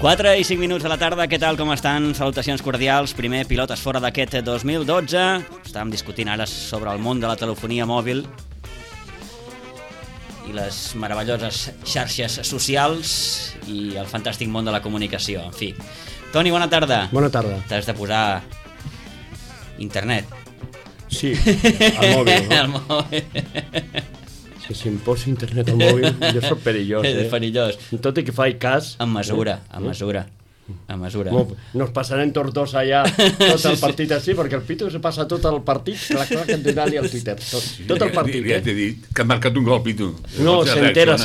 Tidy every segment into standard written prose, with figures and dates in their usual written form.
4 i 5 minuts de la tarda, què tal, com estan? Salutacions cordials, primer Pilotes Fora d'aquest 2012. Estàvem discutint ara sobre el món de la telefonia mòbil i les meravelloses xarxes socials i el fantàstic món de la comunicació, en fi. Toni, bona tarda. Bona tarda. T'has de posar internet. Sí, al mòbil, no? Al mòbil. Si em poso internet al mòbil, jo soc perillós, És perillós. Tot i que faig cas... En mesura, en mesura. En mesura. Nos passarem tots dos allà tot el partit així, perquè el Pitu se passa tot el partit, clar, que entendrà-li al Twitter. Tot el partit, Ja t'he dit que ha marcat un gol, Pitu. No, s'entera.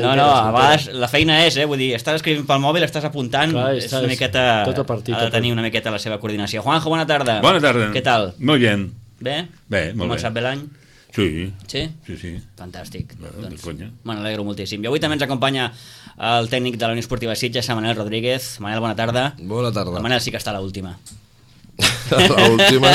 No, a vegades la feina és, vull dir, estàs escrivint pel mòbil, estàs apuntant, és una miqueta... Tot el partit. Ha de tenir una miqueta la seva coordinació. Juanjo, bona tarda. Bona tarda. Què tal? Molt bien. Bé? Bé, molt bé. Començat bé l'any? Sí. Sí? Sí. Fantàstic. De conya. Me n'alegro moltíssim. I avui també ens acompanya el tècnic de la Unió Esportiva Sitges, Manel Rodríguez. Manel, bona tarda. Bona tarda. El Manel sí que està a l'última. A l'última?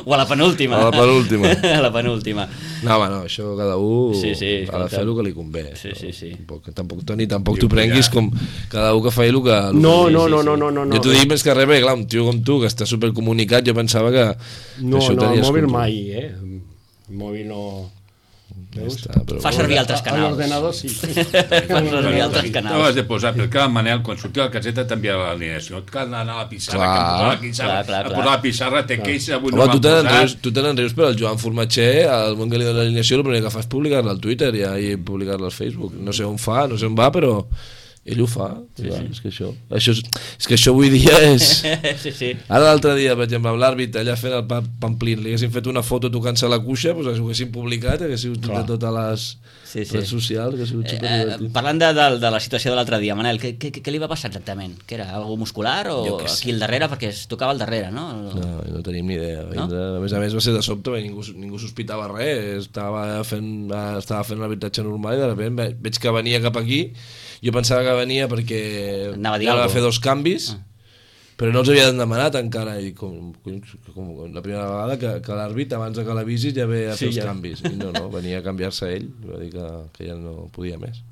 O a la penúltima. A la penúltima. A la penúltima. No, home, no, això cada un ha de fer el que li convé. Sí. Tampoc, Toni, tampoc t'ho prenguis com cada un que faci el que... No. Jo t'ho dic més que res, perquè clar, un tio com tu, que està supercomunicat, jo pensava que... No, el mòbil mai, el mòbil no... Fa servir altres canals. L'ordenador sí. Fa servir altres canals. No has de posar, perquè el Manel, quan sortia a la caseta, t'enviava l'alineació. Et cal anar a la pissarra, a posar la pissarra, te queixa, avui no m'han posat... Tu te n'enrius, però el Joan Formatxer, al moment que li dona l'alineació, el primer que fa és publicar-la al Twitter i publicar-la al Facebook. No sé on fa, no sé on va, però... ell ho fa, és que això avui dia és... Sí. Ara l'altre dia, per exemple, amb l'àrbit allà fent el Pamplín, li haguessin fet una foto tocant-se la cuixa, doncs ho haguessin publicat, haguessin de totes les redes socials, que ha sigut superdivertit. Parlant de la situació de l'altre dia, Manel, què li va passar exactament? Que era algo muscular o aquí al darrere? Perquè es tocava al darrere, no? No tenim ni idea. No? A més va ser de sobte, ningú sospitava res, estava fent un arbitratge normal i de sobte veig que venia cap aquí. Jo pensava que venia perquè anava a fer 2 canvis, però no els havien demanat encara, i com la primera vegada que l'àrbit abans que l'avisis ja ve a fer els canvis, i no, venia a canviar-se ell, va dir que ja no podia més.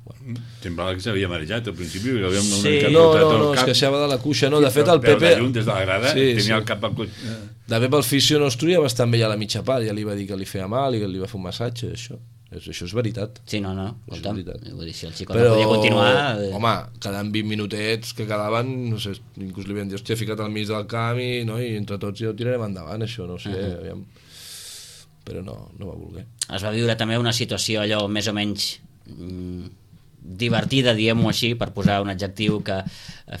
Semblava que s'havia marejat al principi. No, es queixava de la cuixa, no, de fet el Pepe... Però de lluny, des de la grada, tenia el cap al cuixa. De fet el fisio nostre ja va estar amb ell a la mitja part, ja li va dir que li feia mal i que li va fer un massatge, això és veritat. Sí, no, escolta'm, vull dir, si el xicot no podia continuar... Home, quedant 20 minutets que quedaven, no sé, inclús li havien dit, hòstia, ficat al mig del camp i entre tots ja ho tirarem endavant, això, no sé, aviam. Però no va voler. Es va viure també una situació allò més o menys divertida, diguem-ho així, per posar un adjectiu que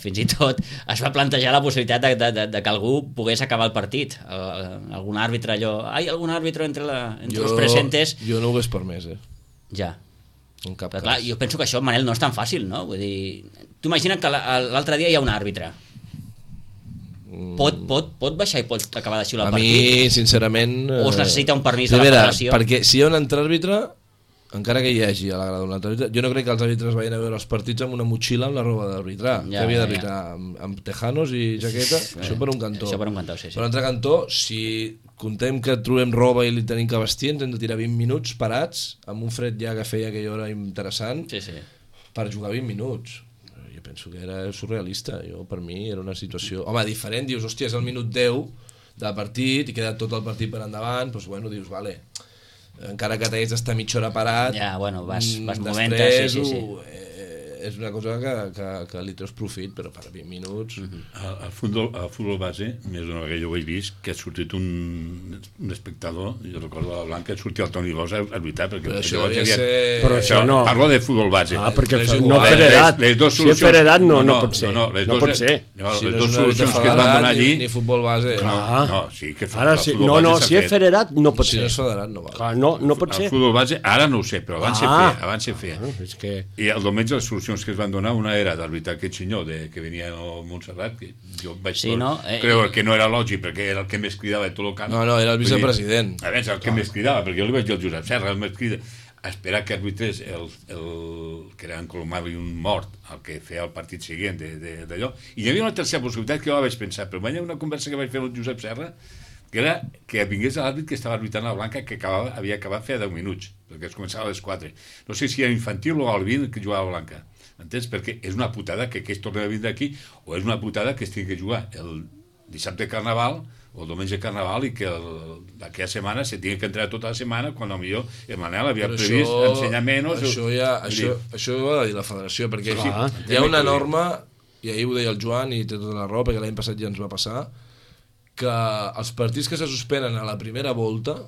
fins i tot es va plantejar la possibilitat de que algú pogués acabar el partit. Algun àrbitre allò... algun àrbitre entre els presentes... Jo no ho hagués permès, Ja. En cap cas. Clar, jo penso que això, Manel, no és tan fàcil, no? Vull dir, tu imagina't que l'altre dia hi ha un àrbitre. Pot baixar i pot acabar de xiular el partit? A mi, sincerament... O es necessita un permís de la federació? Perquè si hi ha un altre àrbitre... encara que hi hagi a la grada un altre àrbitre, jo no crec que els àrbitres vagin a veure els partits amb una motxilla amb la roba d'arbitrar, que havia d'arbitrar amb tejanos i jaqueta, això per un cantó. Això per un cantó, sí. Per un altre cantó, si contem que trobem roba i li tenim que vestir, ens hem de tirar 20 minuts parats, amb un fred ja que feia aquella hora interessant, per jugar 20 minuts. jo penso que era surrealista. Per mi era una situació... Home, diferent, dius, hòstia, és el minut 10 del partit i queda tot el partit per endavant, doncs bueno, dius, vale, encara que t'hagués d'estar mitja hora parat, ja, bueno, vas movent, sí. És una cosa que li treus profit, però per 20 minuts... Al futbol base, més d'una vegada jo ho he vist, que ha sortit un espectador, jo recordo a la Blanca, sortia el Toni Bosch a lluitar, perquè això Però això no... Parlo de futbol base. Perquè no per edat. Si és per edat no pot ser. No pot ser. Les dues solucions que es van donar allí... Ni futbol base. No, sí que ara sí. No, si és per edat no pot ser. Si no és federat no va. No pot ser. El futbol base, ara no ho sé, però abans se feia. I el diumenge les solucions que es van donar, una era d'arbitrar aquest senyor que venia a Montserrat, que jo vaig creure que no era lògic perquè era el que més cridava de tot el camp. No, era el vicepresident. A veure, el que més cridava, perquè jo li vaig dir al Josep Serra, el més crida, a esperar que arbitrés el que era en Colomar i un mort, el que feia el partit següent d'allò. I hi havia una tercera possibilitat que jo la vaig pensar, però hi havia una conversa que vaig fer amb el Josep Serra, que era que vingués l'àrbit que estava arbitrant la Blanca, que havia acabat feia 10 minuts, perquè es començava a les 4. No sé si era infantil o al 20 que jugava la Blanca. Entens? Perquè és una putada que es torni a vindre aquí, o és una putada que es tingui que jugar el dissabte de Carnaval o el diumenge de Carnaval i que d'aquella setmana se tingui que entrar tota la setmana quan potser el Manel havia previst ensenyar menys. Això ho ha de dir la federació, perquè hi ha una norma, i ahir ho deia el Joan i té tota la raó, perquè l'any passat ja ens va passar, que els partits que se suspenen a la primera volta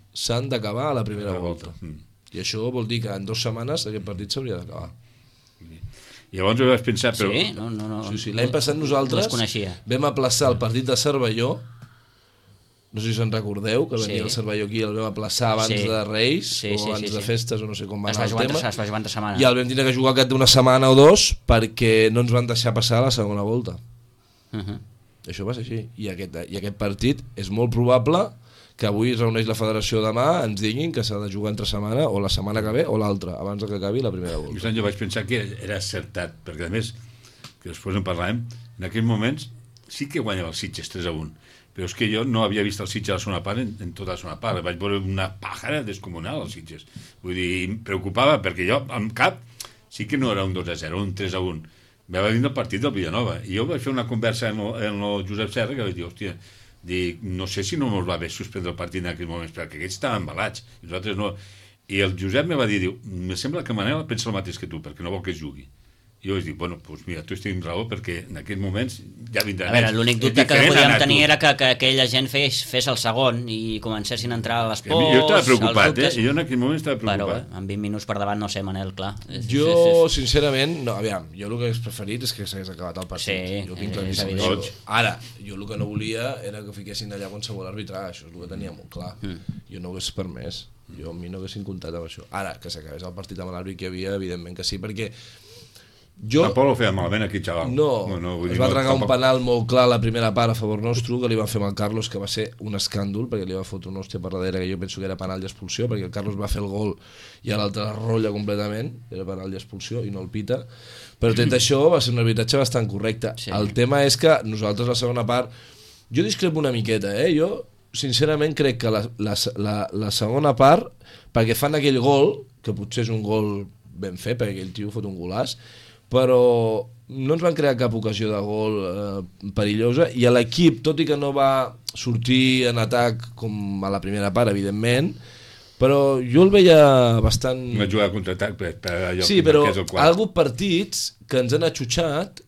s'han d'acabar a la primera volta. I això vol dir que en 2 setmanes aquest partit s'hauria d'acabar. Llavors ho vaig pensar, però... Sí? No. Sí. L'any passat nosaltres vam aplaçar el partit de Cervelló, no sé si se'n recordeu, que venia el Cervelló aquí, el vam aplaçar abans de Reis, o abans de festes, o no sé com va anar el tema, es va jugar entre setmana. I el vam tenir que jugar aquest d'una setmana o 2 perquè no ens van deixar passar a la segona volta. Això va ser així. I aquest partit és molt probable que avui es reuneix la federació demà, ens diguin que s'ha de jugar entre setmana, o la setmana que ve o l'altra, abans que acabi la primera volta. Jo vaig pensar que era acertat, perquè a més, que després en parlàvem, en aquells moments sí que guanyava els Sitges 3-1, però és que jo no havia vist el Sitges a la segona part en tota la segona part, vaig veure una pàjara descomunal als Sitges, vull dir, em preocupava, perquè jo, en cap, sí que no era un 2-0, un 3-1, va venir el partit del Villanova, i jo vaig fer una conversa amb el Josep Serra, que vaig dir, hòstia, no sé si no ens va bé suspendre el partit en aquells moments, perquè aquests estaven embalats i nosaltres no. I el Josep me va dir, me sembla que Manel pensa el mateix que tu, perquè no vol que es jugui. I jo vaig dir, bueno, doncs mira, tu estic amb raó, perquè en aquests moments ja vindran. A veure, l'únic dubte que podíem tenir era que aquella gent fes el segon i comencessin a entrar a les pors. Jo estava preocupat, jo en aquell moment estava preocupat. Però amb 20 minuts per davant, no sé, Manel, clar. Jo, sincerament, no, aviam, jo el que hagués preferit és que s'hagués acabat el partit. Sí, jo tinc claríssim. Ara, jo el que no volia era que fiquessin allà qualsevol arbitrar, això és el que tenia molt clar. Jo no ho hagués permès, a mi no haguessin comptat amb això. Ara, que s'acabés el partit amb l'àrbit que hi havia, evidentment que sí, perquè tampoc ho feia malament aquí, xaval. No, es va tragar un penal molt clar a la primera part a favor nostre, que li van fer amb el Carlos, que va ser un escàndol, perquè li va fotre una hòstia per darrere, que jo penso que era penal d'expulsió, perquè el Carlos va fer el gol i l'altre rolla completament, era penal d'expulsió i no el pita, però tot això va ser un arbitratge bastant correcte. El tema és que nosaltres la segona part, jo discrepo una miqueta, jo sincerament crec que la segona part, perquè fan aquell gol, que potser és un gol ben fet, perquè aquell tio fot un golaç, però no ens van crear cap ocasió de gol perillosa, i l'equip, tot i que no va sortir en atac com a la primera part, evidentment, però jo el veia bastant... Va jugar a contraatac per allò. Sí, però ha hagut partits que ens han atxutxat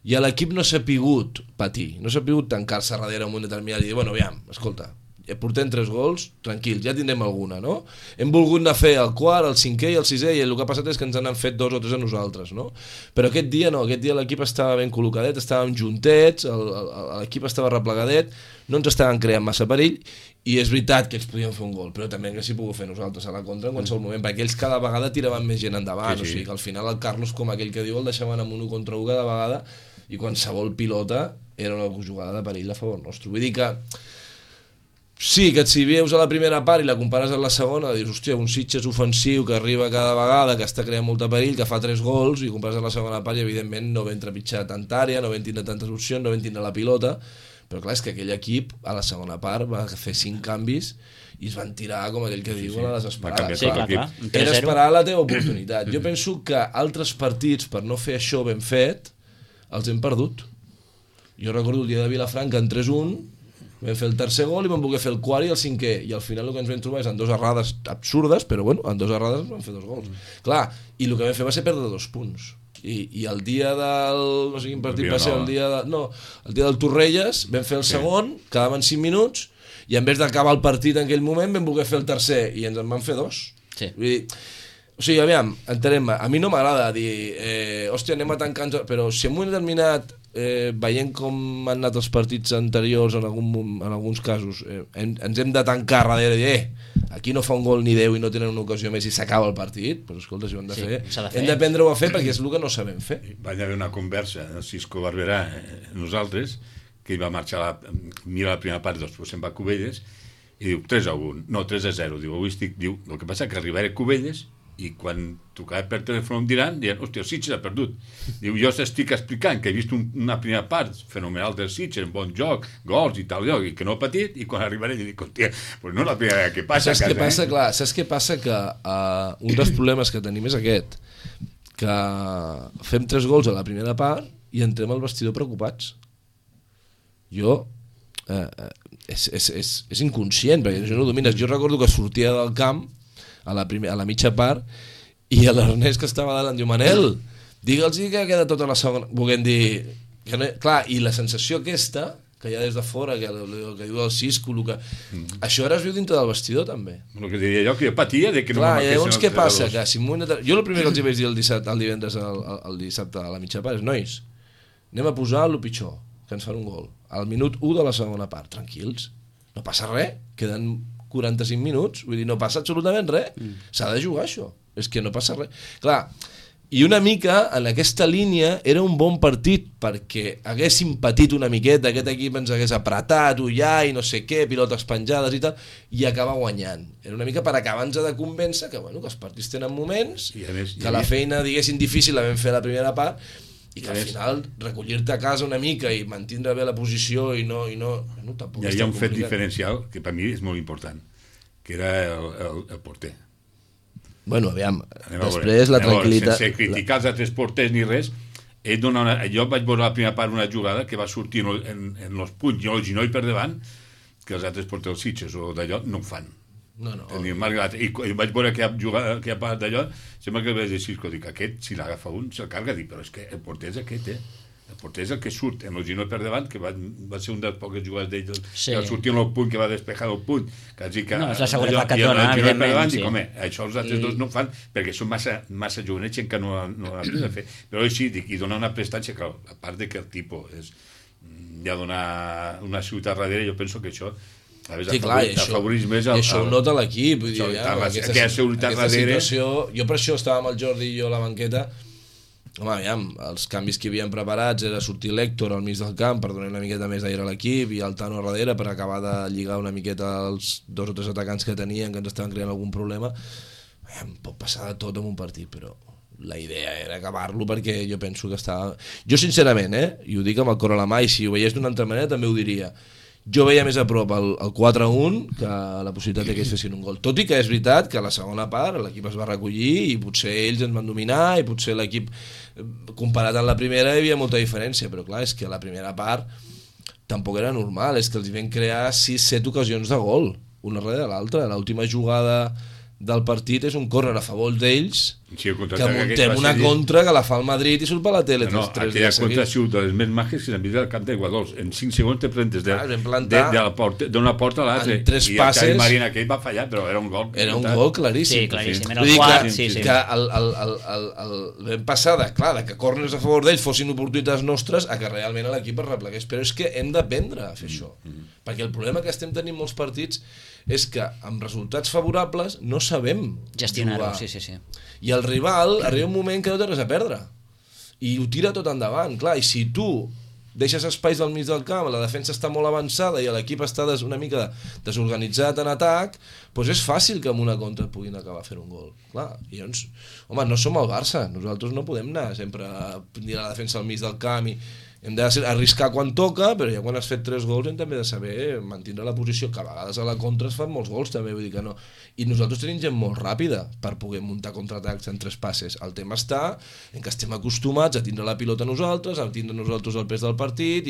i l'equip no s'ha pogut patir, no s'ha pogut tancar-se darrere un determinat i dir, bueno, aviam, escolta, portem 3 gols, tranquils, ja tindrem alguna, no? Hem volgut anar a fer el quart, el cinquè i el sisè, i el que ha passat és que ens han fet 2 o 3 a nosaltres, no? Però aquest dia no, aquest dia l'equip estava ben col·locadet, estàvem juntets, l'equip estava replegadet, no ens estaven creant massa perill, i és veritat que ells podien fer un gol, però també que s'hi pogut fer nosaltres a la contra en qualsevol moment, perquè ells cada vegada tiraven més gent endavant, o sigui que al final el Carlos, com aquell que diu, el deixaven amb 1 contra 1 cada vegada, i qualsevol pilota era una jugada de perill a favor nostre. Vull dir que sí, que si veus a la primera part i la compares amb la segona, dius, hòstia, un Sitges ofensiu que arriba cada vegada, que està creant molta perill, que fa 3 gols, i compares amb la segona part i evidentment no vam trepitjar tanta àrea, no vam tindre tantes opcions, no vam tindre la pilota, però clar, és que aquell equip a la segona part va fer 5 canvis i es van tirar, com aquell que diu, a la desesperada. Sí, clar. Era esperar la teva oportunitat. Jo penso que altres partits, per no fer això ben fet, els hem perdut. Jo recordo el dia de Vilafranca en 3-1, vam fer el tercer gol i vam voler fer el quart i el cinquè, i al final el que ens vam trobar és en 2 errades absurdes, però bueno, en 2 errades vam fer 2 gols. Clar, i el que vam fer va ser perdre 2 punts. I el dia del... no sé quin partit va ser, el dia del Torrelles, vam fer el segon, quedaven 5 minuts, i en vez d'acabar el partit en aquell moment vam voler fer el tercer, i ens en van fer 2. Sí. Vull dir, o sigui, aviam, entenem-me, a mi no m'agrada dir, hòstia, anem a tancar... Però si en un moment determinat, veient com han anat els partits anteriors en alguns casos, ens hem de tancar darrere i dir, aquí no fa un gol ni 10 i no tenen una ocasió més i s'acaba el partit, però escolta, si ho hem de fer, hem d'aprendre-ho a fer perquè és el que no sabem fer. Va haver una conversa, el Cisco Barberà, nosaltres, que hi va marxar mira la primera part, després se'n va a Cubelles, i diu 3-1, no, 3-0, diu, avui estic, diu, el que passa que arribaré a Cubelles i quan trucava per telèfon em diran, hòstia, el Sitges ha perdut. Diu, jo t'estic explicant que he vist una primera part fenomenal del Sitges, un bon joc, gols i tal, i que no ha patit, i quan arribaré dic, hòstia, pues no és la primera vegada que passa. Saps què passa? Clar, saps què passa? Que un dels problemes que tenim és aquest, que fem 3 gols a la primera part i entrem al vestidor preocupats. Jo... és inconscient, perquè això no ho domines. Jo recordo que sortia del camp a la mitja part i l'Ernest que estava davant diu, Manel, digue'ls que queda tota la segona, volent dir que no... clar, i la sensació aquesta que hi ha des de fora, que diu el Cisco, això ara es viu dintre del vestidor també. El que diria jo, que jo patia de que no clar, i llavors què passa? Que si jo el primer que els hi vaig dir el divendres el dissabte a la mitja part és, nois, anem a posar el pitjor, que ens fan un gol al minut 1 de la segona part, tranquils, no passa res, queden 45 minuts, vull dir, no passa absolutament res, s'ha de jugar això, és que no passa res. Clar, i una mica en aquesta línia era un bon partit perquè haguéssim patit una miqueta, aquest equip ens hagués apretat, ullar i no sé què, pilotes penjades i tal, i acabar guanyant. Era una mica per acabar-nos de convèncer que, bueno, que els partits tenen moments, que la feina, diguéssim, difícil la vam fer a la primera part, i que al final recollir-te a casa una mica i mantindre bé la posició i no tampoc hi ha un fet diferencial que per mi és molt important, que era el porter. Bueno, aviam, després la tranquil·litat... Sense criticar els altres porters ni res, jo vaig veure la primera part una jugada que va sortir en els punys i el ginoll per davant, que els altres porters dels Sitges o d'allò no ho fan. No. I vaig veure que ha parat d'allò, sembla que vaig dir, dic, aquest, si l'agafa un, se'l carga, dic, però és que el porter és aquest, el porter és el que surt en el ginoll per davant, que va ser un dels poques jugades d'ell, que va sortir en el punt, que va despejar el punt, que no, és la seguretat que et dona, evidentment, sí. Home, això els altres dos no ho fan, perquè són massa jovenets que no han après a fer, però així, dic, i dona una prestància, clar, a part de que el tipus ja dona una ciutat darrere, jo penso que això sí, clar, i això ho nota l'equip, vull dir, aquesta situació, jo per això estava amb el Jordi i jo a la banqueta, home, aviam, els canvis que havien preparats era sortir l'Héctor al mig del camp per donar una miqueta més d'aire a l'equip i el Tano a darrere per acabar de lligar una miqueta els 2 o 3 atacants que tenien que ens estaven creant algun problema. Aviam, pot passar de tot en un partit, però la idea era acabar-lo perquè jo penso que estava... Jo sincerament, i ho dic amb el cor a la mà, i si ho veiés d'una altra manera també ho diria, jo veia més a prop el 4-1 que la possibilitat que ells fessin un gol. Tot i que és veritat que a la segona part l'equip es va recollir i potser ells ens van dominar i potser l'equip, comparat amb la primera, hi havia molta diferència, però clar, és que a la primera part tampoc era normal, és que els van crear 6-7 ocasions de gol, una darrere l'altra. L'última jugada del partit és un córner a favor d'ells, que muntem una contra que la fa el Madrid i surt per la tele. Aquella contra ha sigut de les més màgiques que s'han vist al camp de Guadols. En 5 segons te presentes d'una porta a l'altra. En 3 passes... I el Marina aquell va fallar, però era un gol. Era un gol claríssim. Sí, claríssim. Era el quart, sí. Que vam passar de que corners a favor d'ells fossin oportunitats nostres a que realment l'equip es replegués. Però és que hem d'aprendre a fer això. Perquè el problema que estem tenint molts partits és que amb resultats favorables no sabem gestionar-ho, sí. I el rival arriba un moment que no té res a perdre i ho tira tot endavant, clar, i si tu deixes espais al mig del camp, la defensa està molt avançada i l'equip està una mica desorganitzat en atac, doncs és fàcil que amb una contra puguin acabar fent un gol, clar, i llavors, home, no som el Barça, nosaltres no podem anar sempre a tenir la defensa al mig del camp i hem d'arriscar quan toca, però ja quan has fet 3 gols hem també de saber mantenir la posició, que a vegades a la contra es fan molts gols també, vull dir que no. I nosaltres tenim gent molt ràpida per poder muntar contraatacs en 3 passes. El tema està en que estem acostumats a tindre la pilota nosaltres, a tindre nosaltres el pes del partit,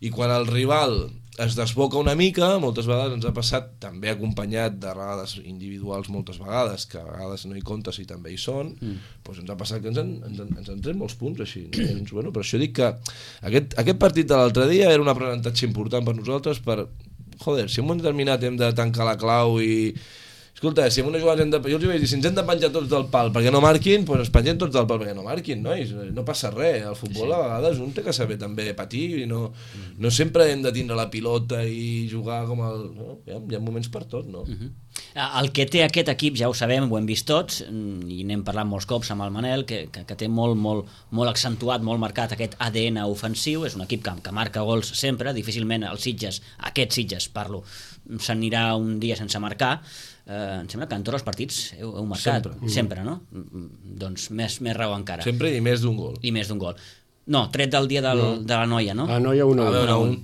i quan el rival es desboca una mica, moltes vegades ens ha passat, també acompanyat de vegades individuals moltes vegades, que a vegades no hi comptes i també hi són, doncs ens ha passat que ens han tret molts punts així. Doncs, bueno, per això dic que aquest partit de l'altre dia era un aprenentatge important per nosaltres per, joder, si en un moment determinat hem de tancar la clau i... Escolta, si en una jugada jo els vaig dir, si ens hem de penjar tots del pal perquè no marquin, doncs ens pengem tots del pal perquè no marquin, nois, no passa res. El futbol a vegades un té que saber també patir i no sempre hem de tindre la pilota i jugar com el... No? Hi ha moments per tot, no? El que té aquest equip, ja ho sabem, ho hem vist tots, i n'hem parlat molts cops amb el Manel, que té molt accentuat, molt marcat aquest ADN ofensiu, és un equip que marca gols sempre, difícilment els Sitges, aquest Sitges, parlo, s'anirà un dia sense marcar. Em sembla que en tots els partits heu marcat, sempre, no? Doncs més raó encara. Sempre i més d'un gol. I més d'un gol. No, tret del dia de la noia, no? A Noia 1-1.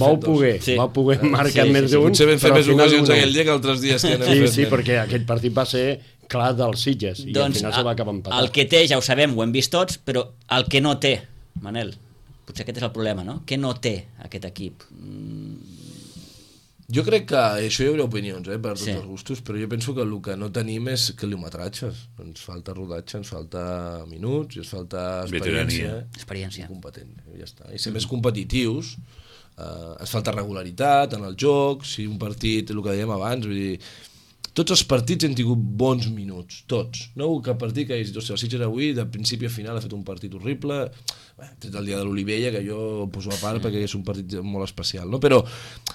Vau poder marcar més d'un, potser vam fer més ocasions aquell dia que altres dies que anem fent. Sí, perquè aquest partit va ser clar dels Sitges i al final se va acabar empatat. El que té, ja ho sabem, ho hem vist tots, però el que no té, Manel, potser aquest és el problema, no? Què no té aquest equip? Jo crec que això hi haurà opinions per tots els gustos, però jo penso que el que no tenim és quilometratges. Ens falta rodatge, ens falta minuts, ens falta experiència. Competent, ja està. I ser més competitius, ens falta regularitat en el joc, si un partit, el que dèiem abans, vull dir, tots els partits hem tingut bons minuts, tots. No hi ha hagut cap partit que hagi dit, el Sitges avui, de principi a final, ha fet un partit horrible, tret el dia de l'Olivella, que jo ho poso a part perquè és un partit molt especial, no? Però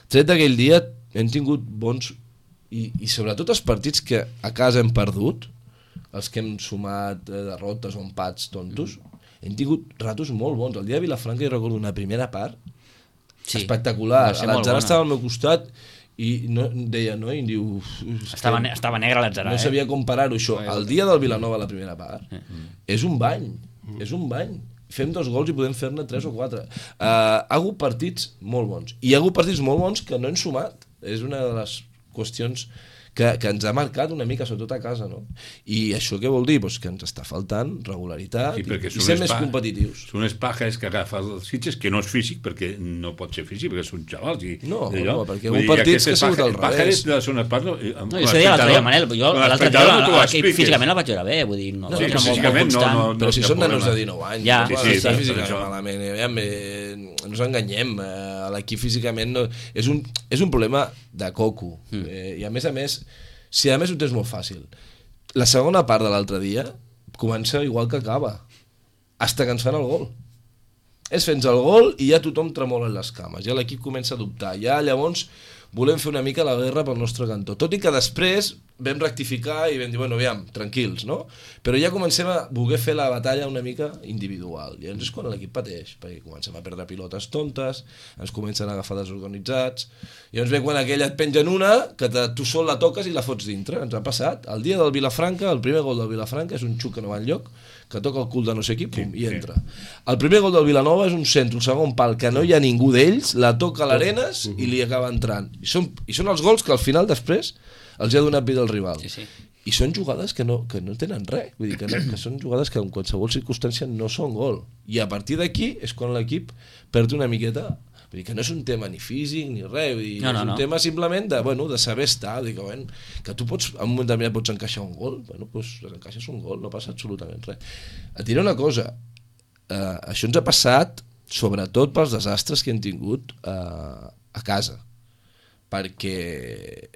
tret d'aquell dia hem tingut bons, i sobretot els partits que a casa hem perdut, els que hem sumat derrotes o empats tontos, hem tingut ratos molt bons. El dia de Vilafranca jo recordo una primera part espectacular, l'Atzara estava al meu costat i deia, no? I em diu... Estava negre l'Atzara, no sabia com parar-ho, això. El dia del Vilanova, la primera part, és un bany, fem 2 gols i podem fer-ne 3 o 4. Ha hagut partits molt bons, i hi ha hagut partits molt bons que no hem sumat. És una de les qüestions que ens ha marcat una mica, sobretot a casa, no? I això què vol dir? Pues que ens està faltant regularitat i ser més competitius. Són unes pajes que agafa els Sitges, que no és físic, perquè no pot ser físic, perquè són xavals. No, perquè un partit que ha sigut al revés. Pajes de la segona part... No, jo això deia l'altre dia, Manel, jo l'altre dia físicament la vaig veure bé, vull dir, no, físicament no. Però si són nanos de 19 anys, ja, està físicament malament, no ens enganyem, l'equip físicament és un problema de coco, i a més, si a més ho tens molt fàcil, la segona part de l'altre dia comença igual que acaba, hasta que ens fan el gol. És fent el gol i ja tothom tremola en les cames, ja l'equip comença a dubtar, ja llavors volem fer una mica la guerra pel nostre cantó, tot i que després vam rectificar i vam dir, bueno, aviam, tranquils, no? Però ja comencem a voler fer la batalla una mica individual, i llavors és quan l'equip pateix, perquè comencem a perdre pilotes tontes, ens comencen a agafar desorganitzats, i llavors ve quan aquella et pengen una, que tu sol la toques i la fots dintre, ens ha passat. El dia del Vilafranca, el primer gol del Vilafranca és un xuc que no va enlloc, que toca el cul de no sé qui, pum, i entra. El primer gol del Vilanova és un centre, un segon pal, que no hi ha ningú d'ells, la toca a l'Arenas i li acaba entrant. I són els gols que al final després els ha donat vida al rival. I són jugades que no tenen res, vull dir que són jugades que en qualsevol circumstància no són gol. I a partir d'aquí és quan l'equip perd una miqueta. Vull dir que no és un tema ni físic ni res, vull dir, és un tema simplement de saber estar, vull dir que tu pots, en un moment determinat pots encaixar un gol, doncs encaixes un gol, no passa absolutament res. Et diré una cosa, això ens ha passat sobretot pels desastres que hem tingut a casa, perquè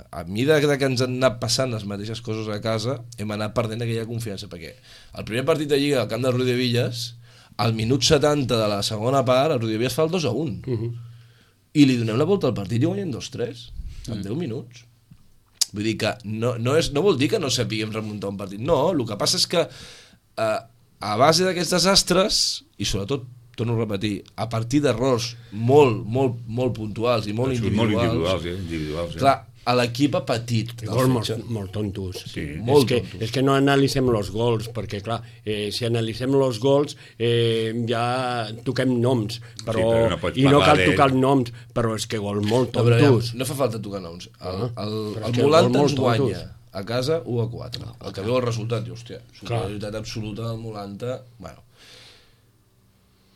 a mesura que ens han anat passant les mateixes coses a casa hem anat perdent aquella confiança, perquè el primer partit de Lliga al camp del Rodillas, al minut 70 de la segona part el Rodillas fa el 2-1 i li donem la volta al partit i guanyem 2-3 en 10 minuts. Vull dir que no vol dir que no sapiguem remuntar un partit, no, el que passa és que a base d'aquests desastres i sobretot, torno a repetir, a partir d'errors molt puntuals i molt individuals, individuals. Clar, l'equip ha patit. Gols molt tontos. Sí, molt tontos. És que no analitzem els gols, perquè, clar, si analitzem els gols ja toquem noms, però no pots i no parlar cal tocar els noms, però és que gols molt tontos. No fa falta tocar noms. El que Molanta molt ens guanya tontos. a casa 1-4. El que veu el resultat, diu, hòstia, superioritat absoluta del Molanta. Bueno.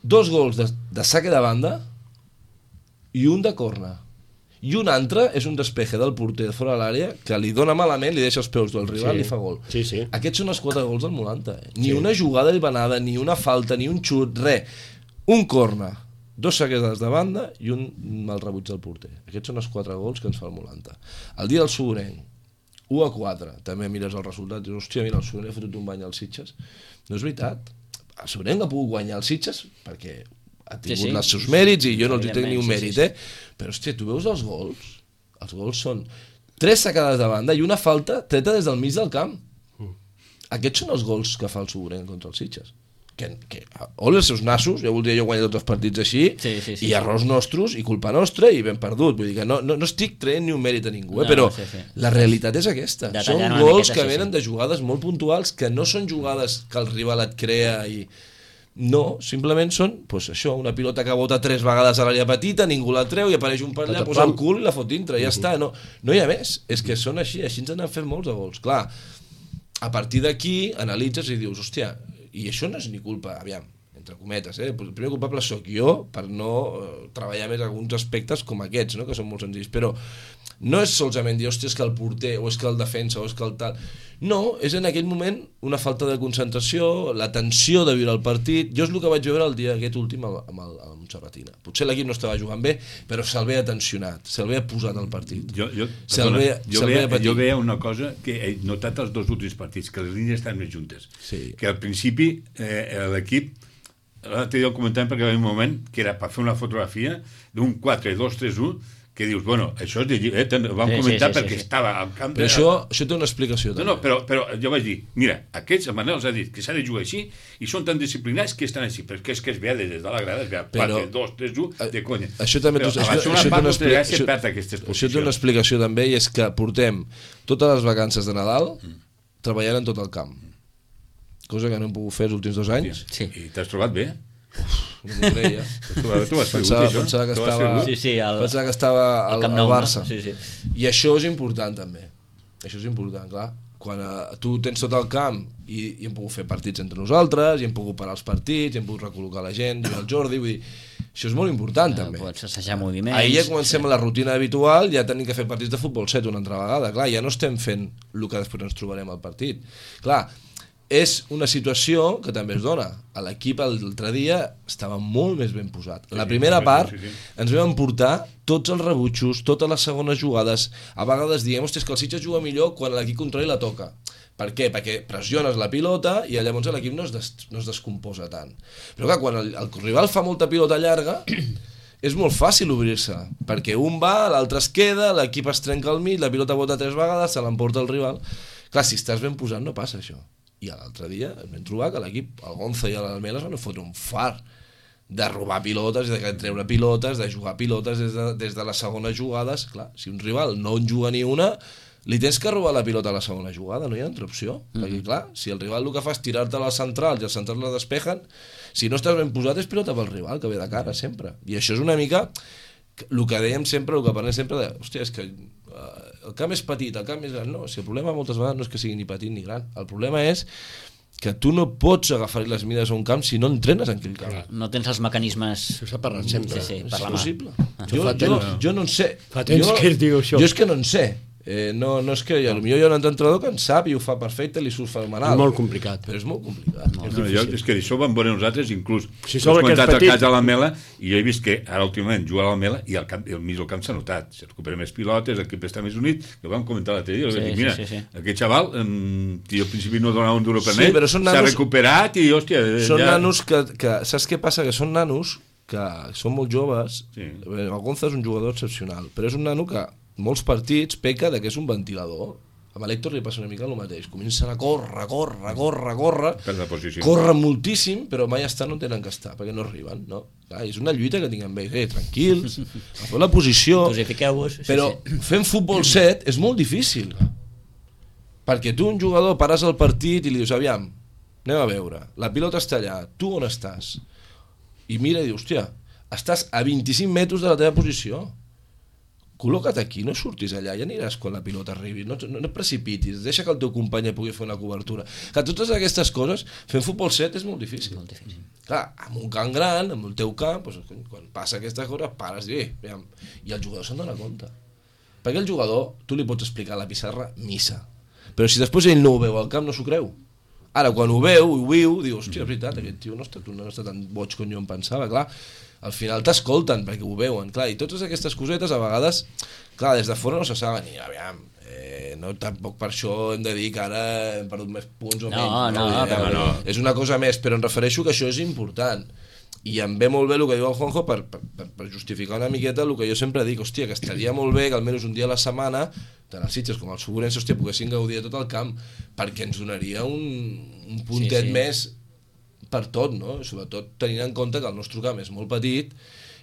2 gols de saque de banda i un de corna. I un altre és un despeje del porter de fora de l'àrea que li dona malament, li deixa els peus del rival i fa gol. Sí, sí. Aquests són els 4 gols del Molanta. Ni una jugada hilvanada, ni una falta, ni un xut, res. Un corna, 2 saquejades de banda i un mal rebuig del porter. Aquests són els 4 gols que ens fa el Molanta. El dia del Sogorenc, 1-4. També mires el resultat i dius, hòstia, mira, el Sogorenc ha fotut un bany als Sitges. No és veritat. El Sogorenc ha pogut guanyar els Sitges perquè ha tingut els seus mèrits i jo no els hi tenc ni un mèrit, Però, hòstia, tu veus els gols? Els gols són 3 sacades de banda i una falta treta des del mig del camp. Aquests són els gols que fa el Sogorenc contra els Sitges. Ole els seus nassos, ja voldria jo guanyar tots els partits així, i errors nostres, i culpa nostra, i ben perdut. Vull dir que no estic traient ni un mèrit a ningú, però la realitat és aquesta. Són gols que venen de jugades molt puntuals, que no són jugades que el rival et crea i... No, simplement són, doncs això, una pilota que bota 3 vegades a l'àrea petita, ningú la treu i apareix un per allà, posa el cul i la fot dintre, ja està, no hi ha més, és que són així ens n'han fet molts de gols, clar, a partir d'aquí analitzes i dius, hòstia, i això no és ni culpa, aviam, entre cometes, el primer culpable sóc jo per no treballar més alguns aspectes com aquests, no? Que són molt senzills, però no és solament dir, hòstia, és que el porter, o és que el defensa, o és que el tal... No, és en aquell moment una falta de concentració, la tensió de viure el partit. Jo és el que vaig veure el dia aquest últim amb Montserratina. Potser l'equip no estava jugant bé, però se'l veia tensionat, se'l veia posat al partit. Jo veia una cosa que he notat els 2 últims partits, que les línies estan més juntes. Sí. Que al principi l'equip, l'altre dia ho comentàvem perquè hi havia un moment que era per fer una fotografia d'un 4-2-3-1, que dius, bueno, això és de ho vam comentar perquè estava al camp... Però això té una explicació, també. No, però jo vaig dir, mira, aquests, el Manel els ha dit que s'ha de jugar així i són tan disciplinats que estan així, perquè és que es veia des de la grada, es veia 4-2-3-1 de conya. Això també té una explicació també, i és que portem totes les vacances de Nadal treballant en tot el camp. Cosa que no hem pogut fer els últims 2 anys. Sí. I t'has trobat bé? No m'ho creia. Pensava que estava al Barça. I això és important també. Això és important, clar. Quan tu tens tot el camp i hem pogut fer partits entre nosaltres, i hem pogut parar els partits, i hem pogut recol·locar la gent, i el Jordi, vull dir, això és molt important també. Pots assajar moviments. Ahir ja comencem la rutina habitual, ja tenim que fer partits de futbol 7 una altra vegada, clar, ja no estem fent el que després ens trobarem al partit. Clar, és una situació que també es dona. L'equip l'altre dia estava molt més ben posat. La primera part ens vam portar tots els rebutjos, totes les segones jugades. A vegades diem, hòstia, que el Sitges juga millor quan l'equip contrari la toca. Per què? Perquè pressiones la pilota i llavors l'equip no es descomposa tant. Però clar, quan el rival fa molta pilota llarga, és molt fàcil obrir-se, perquè un va, l'altre es queda, l'equip es trenca al mig, la pilota bota 3 vegades, se l'emporta el rival. Clar, si estàs ben posat no passa això. I l'altre dia em vam trobar que l'equip, el Gonza i l'Almela, es van fotre un far de robar pilotes, de treure pilotes, de jugar pilotes des de les segones jugades. Clar, si un rival no en juga ni una, li tens que robar la pilota a la segona jugada, no hi ha altra opció. Perquè clar, si el rival el que fa és tirar-te a les centrals i els centrals la despejen, si no estàs ben posat és pilota pel rival, que ve de cara sempre. I això és una mica el que dèiem sempre, el que parlem sempre de, hòstia, és que el camp és petit, el camp és gran. No, si el problema moltes vegades no és que sigui ni petit ni gran, el problema és que tu no pots agafar les mides a un camp si no entrenes en aquell camp. No tens els mecanismes... Això s'ha parlat sempre. Sí, és possible. Jo no en sé. Fa temps que es diu això. Jo és que no en sé. No és que potser hi ha un entrenador que en sap i ho fa perfecte i li surt fenomenal. És molt complicat. Però és molt complicat. És que d'això vam veure nosaltres, inclús si has comentat el cas de l'Almela, i jo he vist que ara últimament juga a l'Almela i el mig del camp s'ha notat, se recupera més pilotes, l'equip està més unit, que ho vam comentar l'altre dia, mira, aquest xaval jo al principi no donava un duro per ell, s'ha recuperat i hòstia... Són nanos que, saps què passa? Que són nanos que són molt joves. El Gonza és un jugador excepcional, però és un nano que molts partits peca de que és un ventilador Amb l'Héctor li passa una mica el mateix. Comencen a córrer, Per la posició. corren moltíssim, però mai estan on tenen que estar, perquè no arriben, no? Clar, és una lluita que tinc amb ells, tranquils, a fer la posició, Dosifiqueu-vos. però fent futbol 7 és molt difícil. Perquè tu, un jugador, pares el partit i li dius, aviam, anem a veure, la pilota està allà, tu on estàs? I mira i dius, hòstia, estàs a 25 metres de la teva posició. Col·loca't aquí, no surtis allà, ja aniràs quan la pilota arribi, no et precipitis, deixa que el teu company pugui fer una cobertura. Que totes aquestes coses, fent futbol 7 és molt difícil. Molt difícil. Clar, amb un camp gran, amb el teu camp, doncs, quan passa aquesta cosa, pares i aviam, i el jugador se'n dona compte. Perquè el jugador, tu li pots explicar a la pissarra missa, però si després ell no ho veu al camp, no s'ho creu. Ara, quan ho veu, ho viu, diu, hòstia, és veritat, aquest tio no està tan boig com jo em pensava, clar. Al final t'escolten perquè ho veuen, clar, i totes aquestes cosetes a vegades, clar, des de fora no se saben, i aviam, no, tampoc per això hem de dir que ara hem perdut més punts o menys. No. És una cosa més, però em refereixo que això és important. I em ve molt bé el que diu el Juanjo per justificar una miqueta el que jo sempre dic, hòstia, que estaria molt bé que almenys un dia a la setmana, tant els Sitges com els Segurense, hòstia, poguessin gaudir de tot el camp, perquè ens donaria un puntet més per tot, no? Sobretot tenint en compte que el nostre camp és molt petit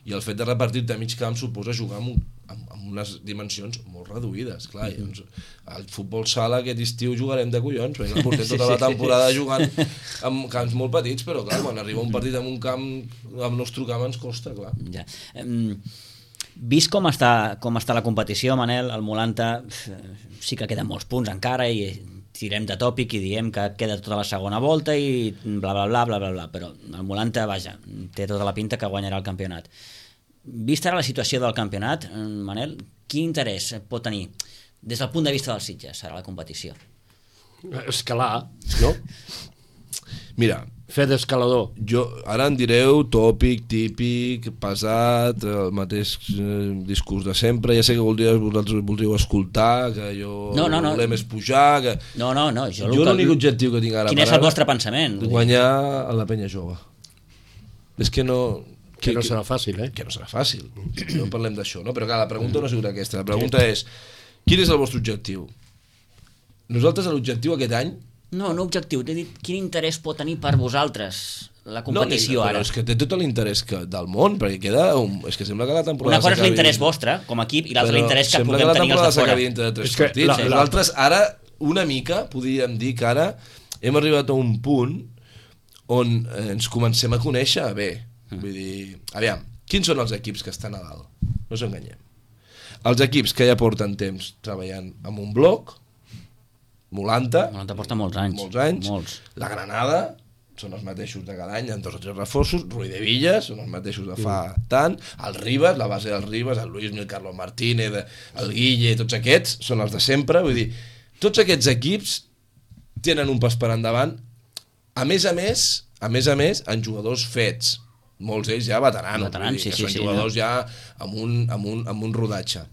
i el fet de repartir de mig camp suposa jugar amb unes dimensions molt reduïdes, clar, i doncs al futbol sala aquest estiu jugarem de collons, perquè portem tota la temporada jugant amb camps molt petits, però clar, quan arriba un partit amb un camp, amb el nostre camp ens costa, clar. Ja. Vist com està la competició, Manel, el Molanta sí que queden molts punts encara i tirem de tòpic i diem que queda tota la segona volta i bla bla bla bla bla bla, però el Molanta, vaja, té tota la pinta que guanyarà el campionat. Vista ara la situació del campionat, Manel, quin interès pot tenir des del punt de vista dels Sitges ara la competició? Escalar, no? Mira, Fer d'escalador. jo ara em direu tòpic, típic, pesat, el mateix discurs de sempre, ja sé que vosaltres voldríeu escoltar, que jo volem és pujar, que... No, jo l'únic objectiu que tinc ara quin és el vostre pensament? Guanyar a la penya jove. És que no... Que no serà fàcil, eh? Que no serà fàcil, no parlem d'això, no? Però clar, la pregunta no ha sigut aquesta, la pregunta és, quin és el vostre objectiu? Nosaltres l'objectiu aquest any... No objectiu, t'he dit quin interès pot tenir per vosaltres la competició ara. Però és que té tot l'interès del món, perquè queda... És que sembla que la temporada... Una cosa és l'interès vostre, com a equip, i l'altra l'interès que puguem tenir els de fora. Sembla que la temporada s'acabi dintre de 3 partits. Nosaltres ara, una mica, podríem dir que ara hem arribat a un punt on ens comencem a conèixer bé. Vull dir, aviam, quins són els equips que estan a dalt? No ens enganyem. Els equips que ja porten temps treballant amb un bloc, Molanta porta molts anys. La Granada són els mateixos de cada any, amb 2 o 3 reforços, Ruiz de Villas són els mateixos de fa tant, el Ribas, la base del Ribas, el Luis, el Carlos Martínez, el Guille, tots aquests són els de sempre, vull dir, tots aquests equips tenen un pas per endavant, a més, en jugadors fets, molts d'ells ja veteranos, són jugadors ja amb un rodatge.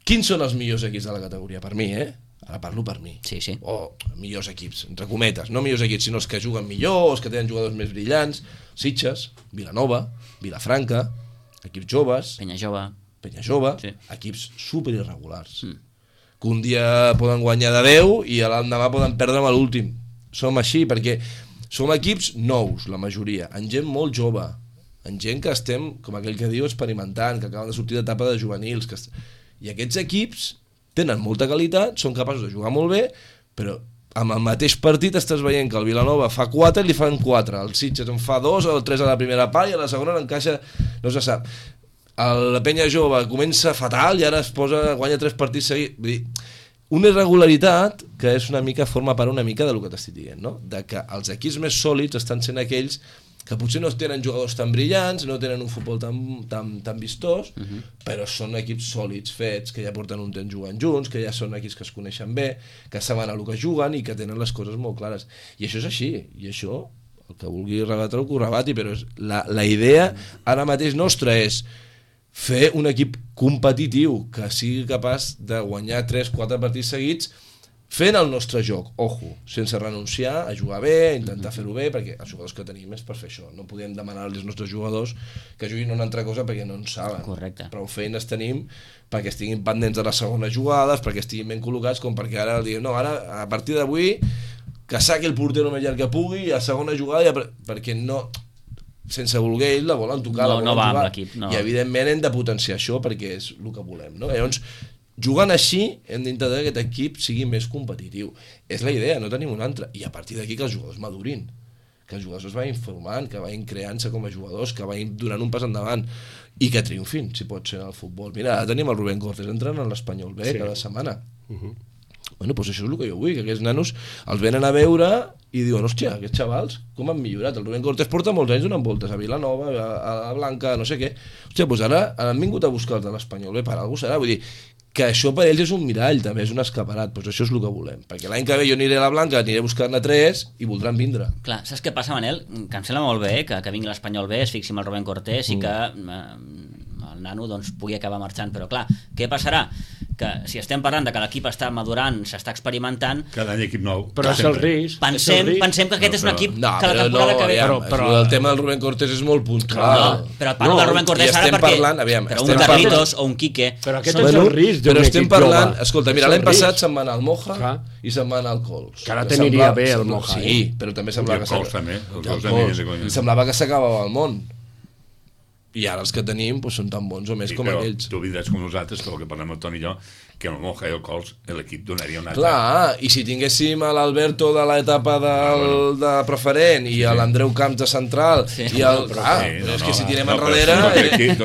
Quins són els millors equips de la categoria? Per mi, ara parlo per mi. O millors equips, entre cometes, no millors equips, sinó els que juguen millor, els que tenen jugadors més brillants, Sitges, Vilanova, Vilafranca, equips joves, Penya Jove, equips superirregulars, que un dia poden guanyar de 10 i l'endemà poden perdre amb l'últim. Som així perquè som equips nous, la majoria, amb gent molt jove, amb gent que estem, com aquell que diu, experimentant, que acaben de sortir d'etapa de juvenils, i aquests equips tenen molta qualitat, són capaços de jugar molt bé, però amb el mateix partit estàs veient que el Vilanova fa 4 i li fan 4, el Sitges en fa 2 o 3 a la primera part i a la segona n'encaixa, no se sap. La Penya Jove comença fatal i ara guanya 3 partits seguits. Vull dir, una irregularitat que és una mica, forma part una mica del que t'estic dient, no? De que els equips més sòlids estan sent aquells que potser no tenen jugadors tan brillants, no tenen un futbol tan vistós, però són equips sòlids, fets, que ja porten un temps jugant junts, que ja són equips que es coneixen bé, que saben el que juguen i que tenen les coses molt clares. I això és així, i això, el que vulgui rebatre-ho, que ho rebati, però la idea ara mateix nostra és fer un equip competitiu que sigui capaç de guanyar 3-4 partits seguits fent el nostre joc, ojo, sense renunciar a jugar bé, a intentar fer-ho bé, perquè els jugadors que tenim és per fer això. No podem demanar als nostres jugadors que juguin una altra cosa perquè no en saben. Correcte. Prou feines tenim perquè estiguin pendents de les segones jugades, perquè estiguin ben col·locats, com perquè ara diguem, no, ara, a partir d'avui, que saqui el porter el més llarg que pugui, a segona jugada, perquè no, sense voler ells la volen tocar, No, la volen no va amb jugar. l'equip, no. I evidentment hem de potenciar això perquè és el que volem, no? Llavors, jugant així, hem d'intentar que aquest equip sigui més competitiu. És la idea, no tenim una altra. I a partir d'aquí que els jugadors madurin, que els jugadors es vagin formant, que vagin creant-se com a jugadors, que vagin donant un pas endavant i que triomfin, si pot ser, en el futbol. Mira, ara tenim el Rubén Cortés entrant en l'Espanyol B cada setmana. Bueno, doncs això és el que jo vull, que aquests nanos els venen a veure i diuen, hòstia, aquests xavals, com han millorat? El Rubén Cortés porta molts anys donant voltes a Vilanova, a la Blanca, no sé què. Hòstia, doncs ara han vingut a buscar els de l'Espanyol B, per alguna cosa serà, vull dir, que això per ells és un mirall, també és un escaparat, doncs això és el que volem, perquè l'any que ve jo aniré a la Blanca, aniré a buscar-ne 3 i voldran vindre. Clar, saps què passa, Manel? Que em sembla molt bé que vingui l'Espanyol B, es fixi amb el Rubén Cortés i que el nano doncs, pugui acabar marxant, però clar, què passarà? Que si estem parlant de que l'equip està madurant, s'està experimentant, Cada any equip nou. Però és el risc. pensem que aquest és un equip que la temporada que ve... Però el tema del Rubén Cortés és molt puntual. Però parlo del Rubén Cortés ara perquè... però un Carlitos o un Quique... Però aquest és el risc d'un però estem equip parlant, jove. escolta, mira, És el l'any passat risc. se'n va anar al Moja Clar. i se'n va anar al Cols. Que ara t'aniria bé el Moja, Sí, però també semblava I el que Cols també, el i Cols el aniria Cols. de conya. I semblava que s'acabava el món. I ara els que tenim doncs, són tan bons o més com però aquells. tu oblidaràs com nosaltres, que el que parlem el Toni i jo, que el Moja i el Cols l'equip donaria una altra. Clar, i si tinguéssim a l'Alberto de l'etapa de preferent i a l'Andreu Camps de central i el... és que si tirem enrere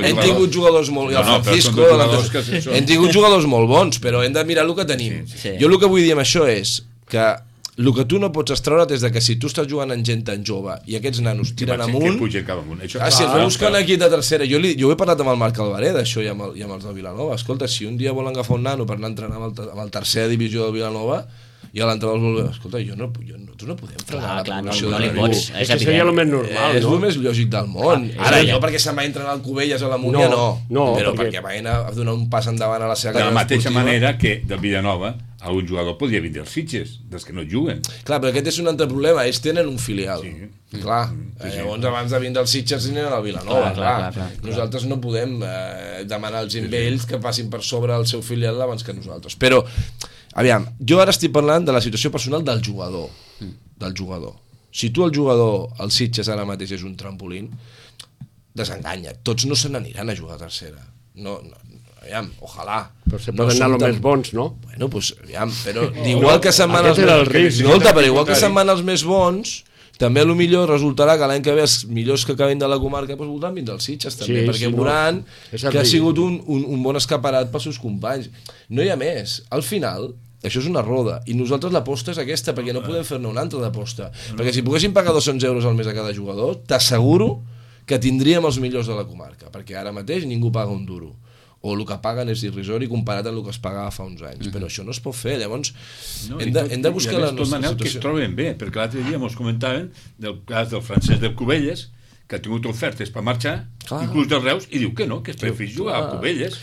hem tingut jugadors molt... I el Francisco, hem tingut jugadors molt bons, però hem de mirar el que tenim. Sí. Jo el que vull dir amb això és que el que tu no pots extraure és que si tu estàs jugant amb gent tan jove i aquests nanos tiren amunt... Que pugen cap amunt. Si es va buscant aquí de tercera... Jo he parlat amb el Marc Alvaré d'això i amb els del Vilanova. Escolta, si un dia volen agafar un nano per anar a entrenar amb el tercera divisió del Vilanova i a l'entrenador vol dir, escolta, nosaltres no podem frenar la progressió no de li ningú. pots, és que seria el més normal, És no? el més lògic del món. Ara, jo perquè se'n va entrenar al Cubelles a la Múnia, no. Però perquè vagin a donar un pas endavant a la seva De la carrera mateixa esportiva. manera que del Villanova algun jugador podria vindre als Sitges, dels que no juguen. Clar, però aquest és un altre problema, ells tenen un filial. Sí. Clar, llavors abans de vindre als Sitges anaven al Vilanova, Clar. Nosaltres no podem demanar als ells que passin per sobre el seu filial abans que nosaltres. Però, aviam, jo ara estic parlant de la situació personal del jugador. Del jugador. Si tu el jugador, el Sitges ara mateix és un trampolín, desenganya. Tots no se n'aniran a jugar a tercera. No, aviam, ojalà. Però se poden anar els més bons, no? Bueno, pues, aviam, però igual que se'n van els Aquest era el risc. Escolta, però igual que se'n van els més bons, també a lo millor resultarà que l'any que ve els millors que acabin de la comarca doncs voldran vindre als Sitges també, Sí, perquè sí, veuran És el que ha risc. sigut un bon escaparat pels seus companys. No hi ha més. Al final, això és una roda, i nosaltres l'aposta és aquesta, perquè no podem fer-ne una altra d'aposta. Perquè si poguéssim pagar 200 euros al mes a cada jugador, t'asseguro que tindríem els millors de la comarca, perquè ara mateix ningú paga un duro, o el que paguen és irrisori comparat amb el que es pagava fa uns anys, però això no es pot fer. Llavors hem de buscar la nostra que es situació. troben bé, perquè l'altre dia ens comentaven del cas del francès del Cubelles, que ha tingut ofertes per marxar, inclús dels Reus, i diu que no, que es prefereix jugar a Cubelles.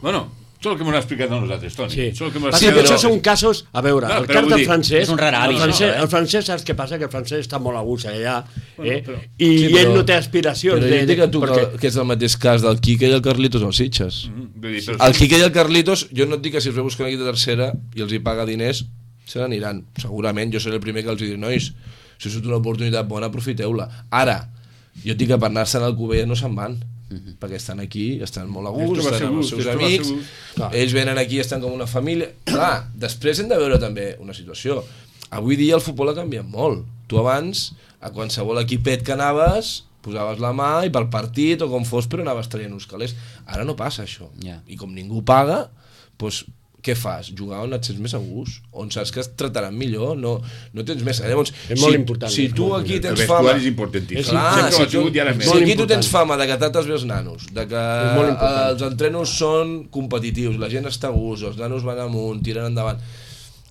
Bueno, això és el que m'ho ha explicat a nosaltres, Toni. Sí, però això són casos... A veure, el cas del francès... és un rar avi, el francès, saps què passa? Que el francès està molt a gust allà, i Sí, ell no té aspiracions. Però jo dic a tu que és el mateix cas del Quique i el Carlitos als Sitges. Però El Quique i el Carlitos, jo no et dic que si els ve buscar aquí de tercera i els hi paga diners, se n'aniran. Segurament, jo seré el primer que els diré, nois, si us una oportunitat bona, aprofiteu-la. Ara, jo et dic que per anar-se'n al Cubelles no se'n van, perquè estan aquí, estan molt a gust, estan amb els seus amics, ells venen aquí, estan com una família. Clar, després hem de veure també una situació. Avui dia el futbol ha canviat molt. Tu abans, a qualsevol equipet que anaves, posaves la mà i pel partit o com fos, però anaves traient uns calés. Ara no passa això. I com ningú paga, doncs què fas? Jugar on et sents més a gust, on saps que et trataran millor, no tens més. Llavors, és molt important. Si tu aquí tens el fama... vestuari és importantíssim. Clar, si aquí tu tens important. fama de que trates bé els nanos, de que els entrenos són competitius, la gent està a gust, els nanos van amunt, tiren endavant,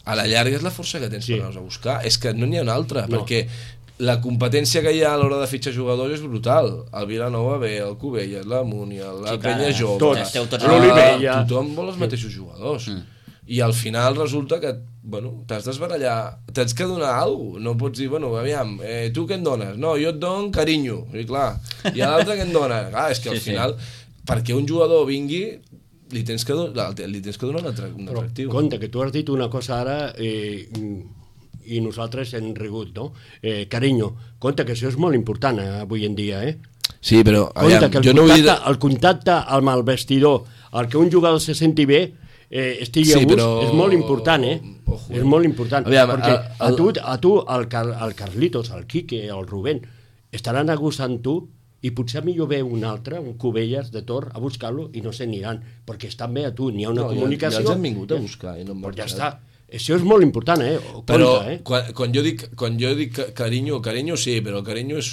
a la llarga és la força que tens per anar-los a buscar. És que no n'hi ha una altra, perquè la competència que hi ha a l'hora de fitxar jugadors és brutal. El Vilanova B, el Cubelles, la Múnia, la Penya Jove, l'Olivella. tothom vol els mateixos jugadors. i al final resulta que t'has d'esbarallar, tens que donar alguna cosa, no pots dir, aviam, tu què em dones? No, jo et dono carinyo, i clar, i a l'altre què em dona? Clar, és que al final, perquè un jugador vingui, li tens que donar un atractiu. Compte, que tu has dit una cosa ara i nosaltres hem rigut, no? Carinyo, compte que això és molt important avui en dia, Sí, però compte que el contacte amb el vestidor, el que un jugador se senti bé, estigui a gust, és molt important, és molt important. Aviam, perquè a tu, el Carlitos, el Quique, el Rubén, estaran a gust amb tu i potser millor ve un altre, un Cubelles de Tor, a buscar-lo i no se n'aniran, perquè estan bé a tu, n'hi ha una comunicació. Ja els han vingut a buscar. Doncs ja està. Això és molt important, Però quan jo dic carinyo sí, però el carinyo és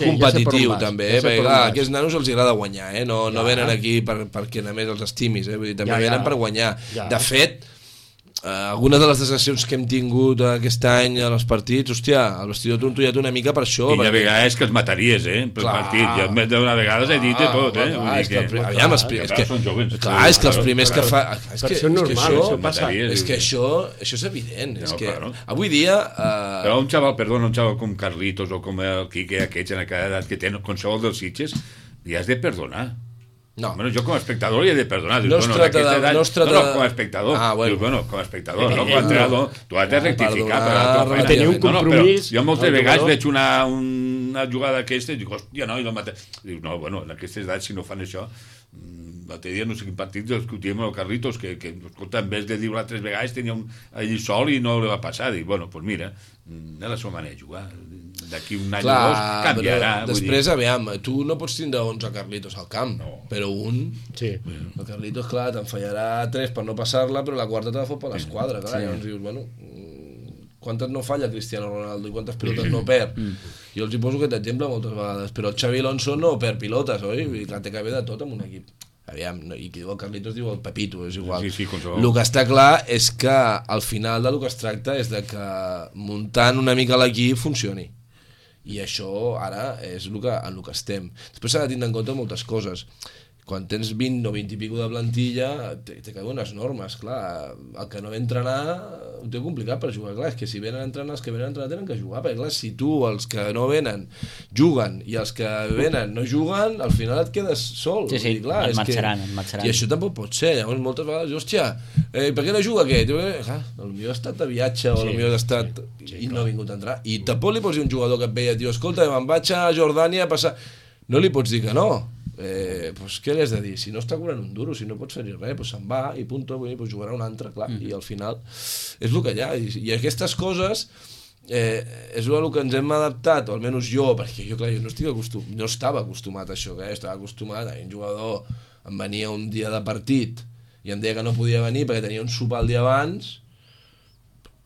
competitiu també, perquè clar, a aquests nanos els agrada guanyar, no venen aquí perquè només els estimis, vull dir, també venen per guanyar. De fet, algunes de les decisions que hem tingut aquest any en els partits, hòstia, el vestidor t'ho entullat una mica per això. I de vegades que els mataries, per partit. Jo d'una vegada he dit de tot, Aviam, és que els primers que fa... Per això és normal, això passa. És que això és evident. Avui dia... Però un xaval com Carlitos o com el Quique, aquests en aquella edat que tenen qualsevol dels Sitges, li has de perdonar. No. Bueno, jo com a espectador li he de perdonar. No es trata de... com a espectador. Com a espectador, no com a entrenador. Tu has de rectificar. Tenir un compromís. Jo moltes vegades veig una jugada aquesta i dic, hòstia, no, i la mata. Dic, no, bueno, en aquestes edats, si no fan això... L'altre dia no sé quin partit discutíem amb el Carlitos que escolta, en vez de dir-ho 3 vegades tenia allí sol i no li va passar. Dic, bueno, doncs mira, és la seva manera de jugar. D'aquí un any o dos canviarà. Després, aviam, tu no pots tindre 11 Carlitos al camp, però un... Sí. El Carlitos, clar, te'n fallarà 3 per no passar-la, però la quarta te la fot per l'esquadra, clar. Llavors dius, bueno, quantes no falla Cristiano Ronaldo i quantes pilotes no perd? Jo els hi poso aquest exemple moltes vegades, però el Xavi Alonso no perd pilotes, oi? I clar, té que haver de tot en un equip. Aviam, i qui diu el Carlitos diu el Pepito, és igual. El que està clar és que al final del que es tracta és de que muntant una mica l'equip funcioni. I això ara és en el que estem. Després s'ha de tindre en compte moltes coses. Quan tens 20 o 20 i pico de plantilla, té que haver unes normes, clar. El que no ve a entrenar ho té complicat per jugar, clar. És que si venen a entrenar, els que venen a entrenar tenen que jugar, perquè clar, si tu, els que no venen, juguen, i els que venen no juguen, al final et quedes sol. Sí, clar, et marxaran. I això tampoc pot ser. Llavors, moltes vegades, hòstia, per què no juga aquest? Clar, potser ha estat de viatge, o potser ha estat... i no ha vingut a entrar. I tampoc li pots dir un jugador que et veia, tio, escolta, me'n vaig a Jordània a passar... No li pots dir que no. Pues què li has de dir? Si no està cobrant un duro, si no pots fer-hi res, pues se'n va i punto, pues jugarà un altre, clar, i al final és el que hi ha, i aquestes coses és el que ens hem adaptat, o almenys jo, perquè jo, clar, no estava acostumat a això, estava acostumat a un jugador em venia un dia de partit i em deia que no podia venir perquè tenia un sopar el dia abans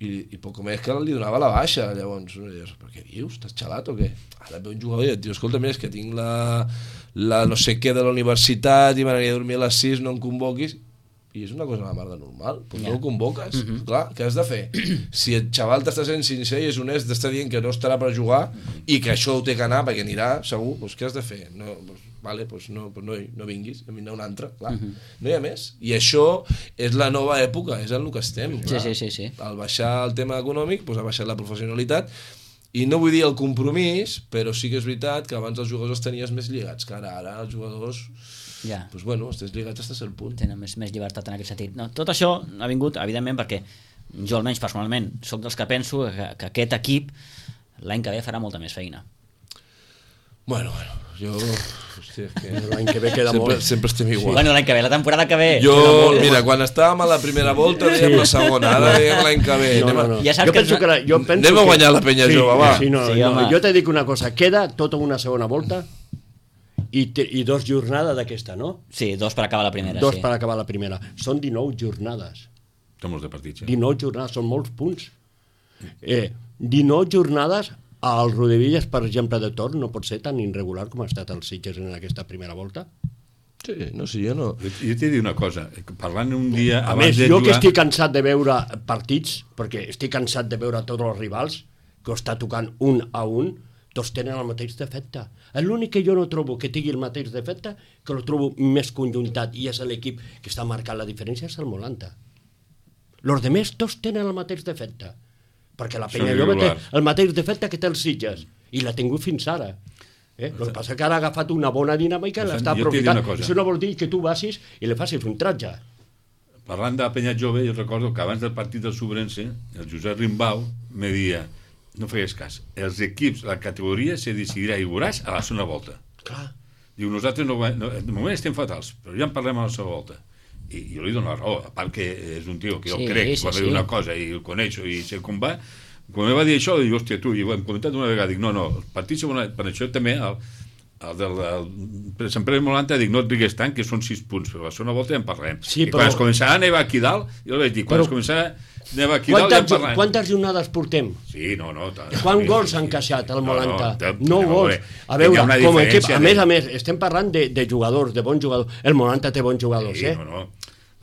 i poc més que li donava la baixa. Llavors, però què dius? Estàs xalat o què? Ara ve un jugador i et diu, escolta, mira, és que tinc la no sé què de la universitat i m'aniria a dormir a les 6, no em convoquis. I és una cosa de la mar de normal, però no el convoques. Clar, què has de fer? Si el xaval t'està sent sincer i és honest, t'està dient que no estarà per jugar i que això ho té que anar perquè anirà segur, doncs què has de fer? No, vale, pues no vinguis, a vindrà un altre, clar. No hi ha més. I això és la nova època, és en el que estem. Sí. Al baixar el tema econòmic, doncs ha baixat la professionalitat, i no vull dir el compromís, però sí que és veritat que abans els jugadors els tenies més lligats, que ara els jugadors... Doncs bueno, estàs lligats fins a cert punt. Tenen més llibertat en aquest sentit. No, tot això ha vingut, evidentment, perquè jo almenys personalment soc dels que penso que aquest equip l'any que ve farà molta més feina. Bueno, jo... Hòstia, és que l'any que ve queda molt. Sempre estem igual. Bueno, l'any que ve, la temporada que ve... Mira, quan estàvem a la primera volta dèiem la segona, ara dèiem l'any que ve. No. Ja saps anem a guanyar la penya jove, va. Jo t'he dit una cosa, queda tota una segona volta i 2 jornades d'aquesta, no? Sí, 2 per acabar la primera. 2 per acabar la primera. Són 19 jornades. Són molts de partits, 19 jornades, són molts punts. 19 jornades... El Rodevillas, per exemple, de Tor no pot ser tan irregular com ha estat el Sitges en aquesta primera volta? Sí, no sé, jo no... Jo t'he dit una cosa, parlant un dia... A més, jo que estic cansat de veure partits, perquè estic cansat de veure tots els rivals, que ho està tocant un a un, tots tenen el mateix defecte. L'únic que jo no trobo que tingui el mateix defecte, que lo trobo més conjuntat, i és l'equip que està marcant la diferència, és el Molanta. Els demés tots tenen el mateix defecte. Perquè la penya Són jove té irregulars. el mateix defecte que té els Sitges. I l'ha tingut fins ara. El que passa és que ara ha agafat una bona dinàmica i l'està Jo t'he de dir aprofitant. una cosa. Això no vol dir que tu vagis i li facis un tratge. Parlant de la penya jove, jo recordo que abans del partit del Sobrense, el Josep Rimbau me deia, no fegues cas, els equips, la categoria se decidirà i veuràs a la segona volta. Clar. Diu, nosaltres de moment estem fatals, però ja en parlem a la segona volta. I jo li dono la raó, a part que és un tio que jo crec, quan ve una cosa i el coneixo i sé com va, quan em va dir això, dic, hòstia, tu, i ho hem comentat una vegada, dic, no, el partit segona, per això també per Sant Pere de Molanta dic, no et digues tant, que són 6 punts, però a la segona volta ja en parlem. Sí, I quan es començarà a nevar aquí dalt, jo li vaig dir, quan es començarà a nevar aquí dalt ja en parlem. Quantes jornades portem? Sí, no. Quants gols han encaixat el Molanta? 9 no, gols. A veure, com a equip, a més, estem parlant de jugadors, de bons jugadors. El Molanta té bons jugadors, sí, eh? no.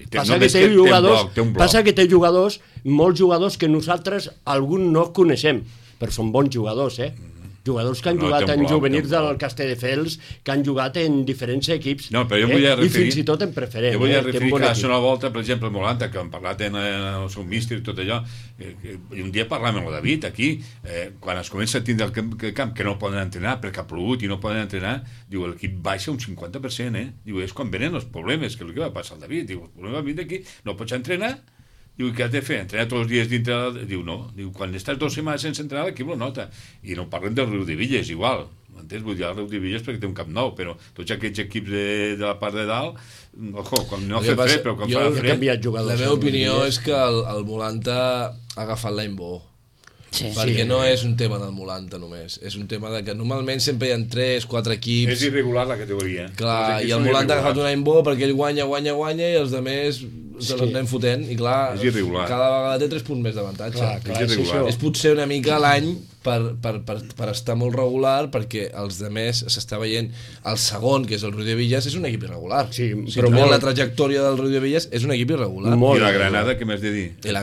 Passa que té jugadors, molts jugadors que nosaltres, alguns no coneixem, però són bons jugadors, eh? Jugadors que han jugat en juvenils del Castelldefels, que han jugat en diferents equips, no, però jo vull referir, i fins i tot en preferent. Jo vull referir que a la segona volta, per exemple, el Molanta, que hem parlat en el seu míster i tot allò, i un dia parlàvem amb el David aquí, quan es comença a tindre el camp que no poden entrenar perquè ha plogut i no poden entrenar, diu, l'equip baixa un 50%, diu, és quan venen els problemes, que és el que va passar al David, diu, el problema vindre aquí, no pots entrenar. Diu, què has de fer? Entrenar tots els dies dintre... Diu, no. Diu, quan estàs 2 setmanes sense entrenar, l'equip lo nota. I no parlem del Riu de Villes, igual. M'entens? Vull dir, el Riu de Villes perquè té un camp nou, però tots aquests equips de la part de dalt, ojo, quan no fa fred, però quan fa fred... La meva opinió és que el Molanta ha agafat l'any bo. Sí, perquè no és un tema del Molanta només, és un tema de que normalment sempre hi ha 3-4 equips. És irregular la categoria. Clar, i el Molanta ha agafat un any bo perquè ell guanya i els altres se l'anem fotent, i clar, cada vegada té 3 punts més d'avantatge. És potser una mica l'any per estar molt regular, perquè els altres s'està veient el segon, que és el Riu de Villes, és un equip irregular. Sí, però la trajectòria del Riu de Villes és un equip irregular. I la Granada, què m'has de dir? Per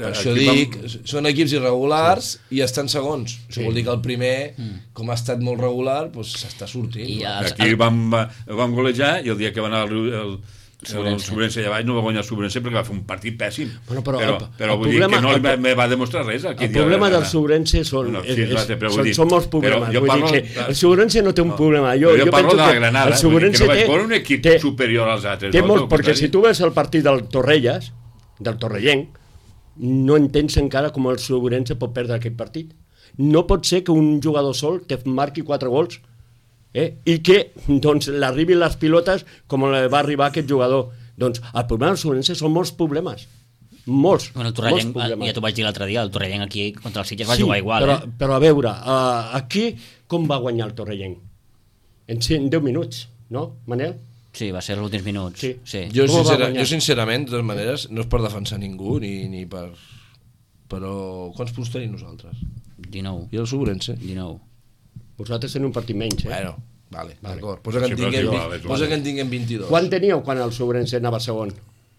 això dic, són equips irregulars i estan segons. Això vol dir que el primer, com ha estat molt regular, s'està sortint. Aquí vam golejar i el dia que va anar el Sobrense allà baix no va guanyar el Sobrense perquè va fer un partit pèssim, però vull dir que no me va demostrar res. El problema del Sobrense són molts problemes. El Sobrense no té un problema. Jo parlo de la Granada, que no vaig veure un equip superior als altres. Té molts, perquè si tu ves el partit del Torrelles, del Torrellenc, no entens encara com el Sobrense pot perdre aquest partit. No pot ser que un jugador sol te marqui 4 gols i que l'arribin les pilotes com va arribar aquest jugador. Doncs el problema del Sobrense són molts problemes. Molts. Bueno, el Torrellenc, ja t'ho vaig dir l'altre dia, el Torrellenc aquí contra els Sitges va jugar igual. Però a veure, aquí com va guanyar el Torrellenc? En 10 minuts, no, Manel? Sí, va ser els últims minuts. Sí. Jo sincerament, de totes maneres, no és per defensar ningú ni per... Però quants punts tenim nosaltres? 19. I el Sobrense? 19. Vosaltres teniu un partit menys, Bueno, d'acord. Posa que en tinguem 22. Quan teníeu quan el Sobrense anava segon?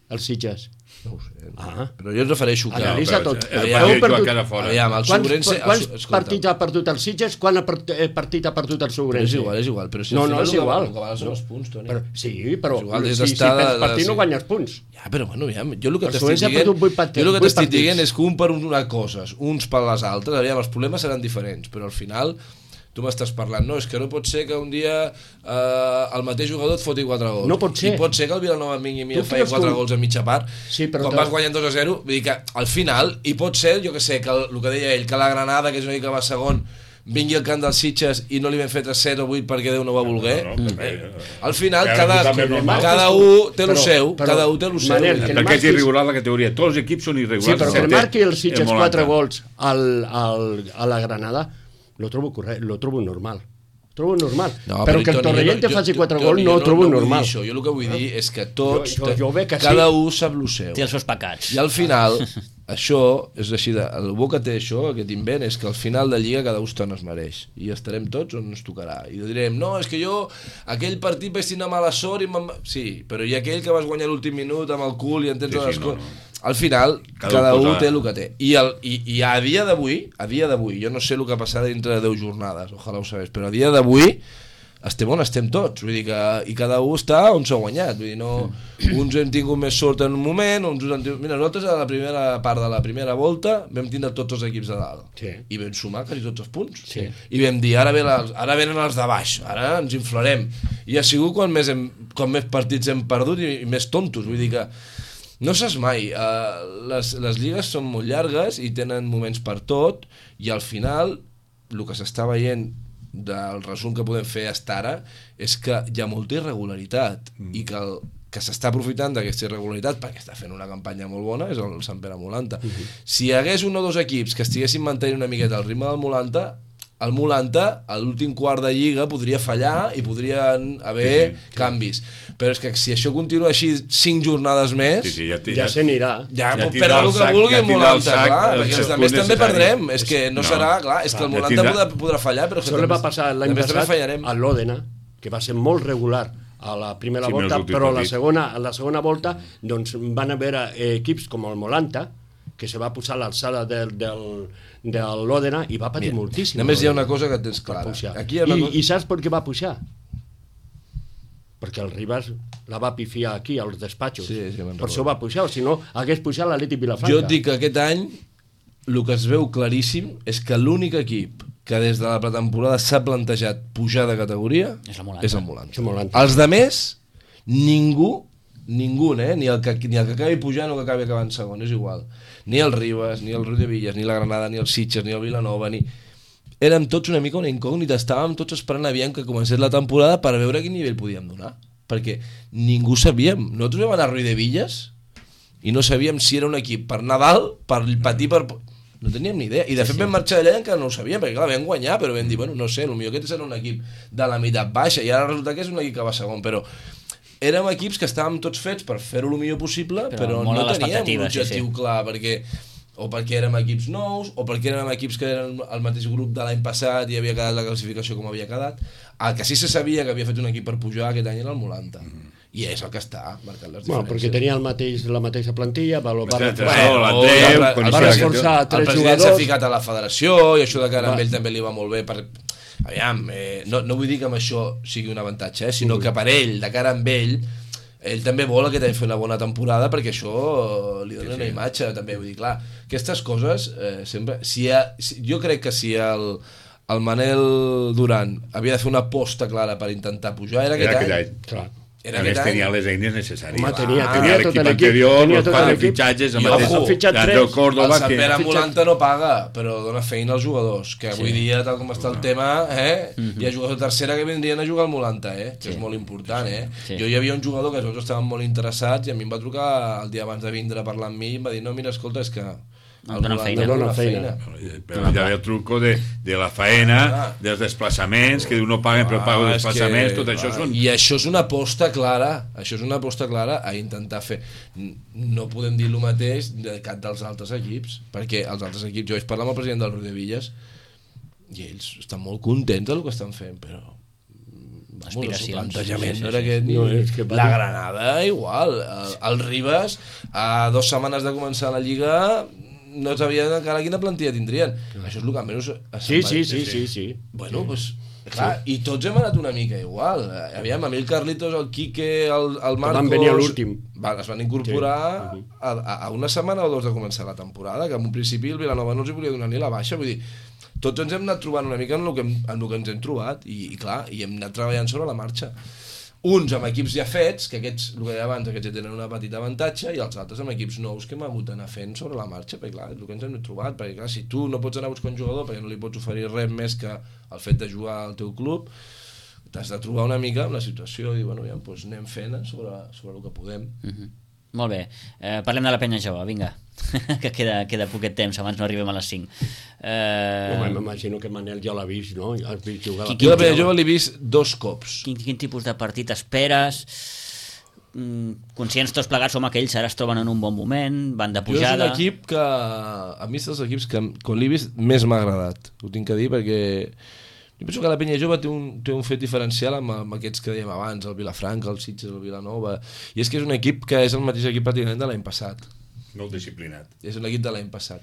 Els Sitges? No ho sé. Però jo et refereixo que... Analitza tot. Aviam, el Sobrense... Quants partits ha perdut els Sitges? Quan partit ha perdut el Sobrense? És igual. Però si no és igual. El que val són els punts, Toni. Sí, però si perds partit no guanyes punts. Ja, però bueno, jo el que t'estic dient és que un per una cosa, uns per les altres, aviam, els problemes seran diferents, però al final... Tu m'estàs parlant, no, és que no pot ser que un dia el mateix jugador et foti 4 gols. No pot ser. I pot ser que el Vilanova vingui i faci 4 gols a mitja part, quan vas guanyant 2-0, vull dir que al final, i pot ser, jo que sé, que el que deia ell, que la Granada, que és una mica que va segon, vingui al camp dels Sitges i no li vam fer 3-7 o 8 perquè Déu no va voler. Al final, cada un té el seu. Perquè és irregular la categoria. Tots els equips són irregulars. Sí, però que marqui els Sitges 4 gols a la Granada lo trobo normal. No, però que el Torrellent te faci 4 gols no ho trobo normal. Jo el que vull dir és que tots, cada un sap el seu. Té els seus pecats. I al final, això és així, el bo que té això, aquest invent, és que al final de Lliga cada un es mereix. I estarem tots on ens tocarà. I direm, no, és que jo aquell partit vaig tenir mala sort i sí, però hi ha aquell que vas guanyar l'últim minut amb el cul i entens les coses. Al final, cada un té el que té. I a dia d'avui, jo no sé el que passarà dintre de 10 jornades, ojalà ho sabés, però a dia d'avui, estem on estem tots, vull dir que i cada un està on s'ha guanyat, vull dir, no, uns hem tingut més sort en un moment, uns han tingut... Mira, nosaltres a la primera part de la primera volta vam tindre tots els equips de dalt i vam sumar quasi tots els punts i vam dir, ara venen els de baix, ara ens inflarem, i ha sigut quan més partits hem perdut i més tontos, vull dir que no saps mai, les lligues són molt llargues i tenen moments per tot, i al final el que s'està veient del resum que podem fer fins ara és que hi ha molta irregularitat i que s'està aprofitant d'aquesta irregularitat perquè està fent una campanya molt bona és el Sant Pere Molanta. Si hi hagués un o dos equips que estiguessin mantenint una miqueta el ritme del Molanta, el Molanta a l'últim quart de lliga podria fallar i podrien haver canvis, però és que si això continua així 5 jornades més ja se n'irà, ja pot perdre el que vulgui el Molanta, clar, perquè els altres també perdrem, és que no serà, clar, és que el Molanta podrà fallar, però això va passar l'any passat a l'Òdena, que va ser molt regular a la primera volta, però a la segona volta doncs van haver equips com el Molanta que se va posar a l'alçada de l'Òdena i va patir moltíssim. Només hi ha una cosa que tens clara. I saps per què va pujar? Perquè el Ribas la va pifiar aquí, als despatxos. Per això va pujar, o si no, hagués pujat l'Atlètic Vilafranca. Jo et dic que aquest any el que es veu claríssim és que l'únic equip que des de la pretemporada s'ha plantejat pujar de categoria és el Molanta. Els de més, ningú, ni el que acabi pujant o que acabi acabant segon, és igual. Ni el Ribas, ni el Riudebitlles, ni la Granada, ni el Sitges, ni el Vilanova, érem tots una mica una incògnita, estàvem tots esperant aviam que comencés la temporada per veure a quin nivell podíem donar, perquè ningú sabíem. Nosaltres vam anar a Riudebitlles i no sabíem si era un equip per anar dalt, per patir, no teníem ni idea, i de fet vam marxar d'allà encara no ho sabíem, perquè clar, vam guanyar, però vam dir, bueno, no sé, potser aquest serà un equip de la meitat baixa, i ara resulta que és un equip que va segon, però érem equips que estàvem tots fets per fer-ho el millor possible, però no teníem un objectiu clar, perquè érem equips nous, o perquè érem equips que eren el mateix grup de l'any passat i havia quedat la classificació com havia quedat. El que sí se sabia que havia fet un equip per pujar aquest any era el Molanta. I és el que està marcant les diferències. Perquè tenia la mateixa plantilla, va reforçar 3 jugadors. El president s'ha ficat a la federació i això de cara amb ell també li va molt bé per... Aviam, no vull dir que amb això sigui un avantatge, sinó que per ell, de cara amb ell també vol aquest any fer una bona temporada perquè això li dona una imatge també, vull dir, clar, aquestes coses sempre, jo crec que si el Manel Duran havia de fer una aposta clara per intentar pujar era aquest any. Clar. A més tenia les eines necessàries. Tenia tot l'equip anterior, els 4 fitxatges, el Córdoba... El Sant Pere Molanta no paga, però dona feina als jugadors, que avui dia, tal com està el tema, hi ha jugadors de tercera que vindrien a jugar al Molanta, que és molt important. Jo hi havia un jugador que els estaven molt interessats i a mi em va trucar el dia abans de vindre a parlar amb mi i em va dir, no, mira, escolta, és que dona feina. Però ja ve el truco de la faena, dels desplaçaments, que no paguen però pago desplaçaments, tot això són... I això és una aposta clara, a intentar fer. No podem dir el mateix de cap dels altres equips, perquè els altres equips, jo vaig parlar amb el president del Riudebitlles i ells estan molt contents del que estan fent, però aspiracions. El plantejament no era aquest ni... La Granada igual, el Ribas a 2 setmanes de començar la Lliga no sabien encara quina plantilla tindrien. Això és el que almenys... Sí. Bueno, doncs, clar, i tots hem anat una mica igual. Aviam, a mi el Carlitos, el Quique, el Marcos... Van venir a l'últim. Es van incorporar a una setmana o 2 de començar la temporada, que en un principi el Vilanova no els volia donar ni la baixa, vull dir, tots ens hem anat trobant una mica en el que ens hem trobat, i clar, i hem anat treballant sobre la marxa. Uns amb equips ja fets, que aquests, el que deia abans, aquests ja tenen una petita avantatge, i els altres amb equips nous que hem hagut d'anar fent sobre la marxa, perquè clar, és el que ens hem trobat, perquè clar, si tu no pots anar a buscar un jugador perquè no li pots oferir res més que el fet de jugar al teu club, t'has de trobar una mica amb la situació i bueno, ja, doncs anem fent sobre el que podem. Molt bé, parlem de la penya jove, vinga, que queda poquet temps, abans no arribem a les 5. M'imagino que Manel ja l'ha vist, no? Has vist jugar Jo la penya jove l'he vist 2 cops. Quin tipus de partit esperes? Conscients tots plegats som aquells, ara es troben en un bon moment, van de pujada... Jo és un equip que, a mi és dels equips que quan l'he vist més m'ha agradat, ho tinc que dir, perquè jo penso que la penya jove té un fet diferencial amb aquests que dèiem abans, el Vilafranca, el Sitges, el Vilanova, i és que és un equip que és el mateix equip pràcticament de l'any passat. Molt disciplinat. És un equip de l'any passat.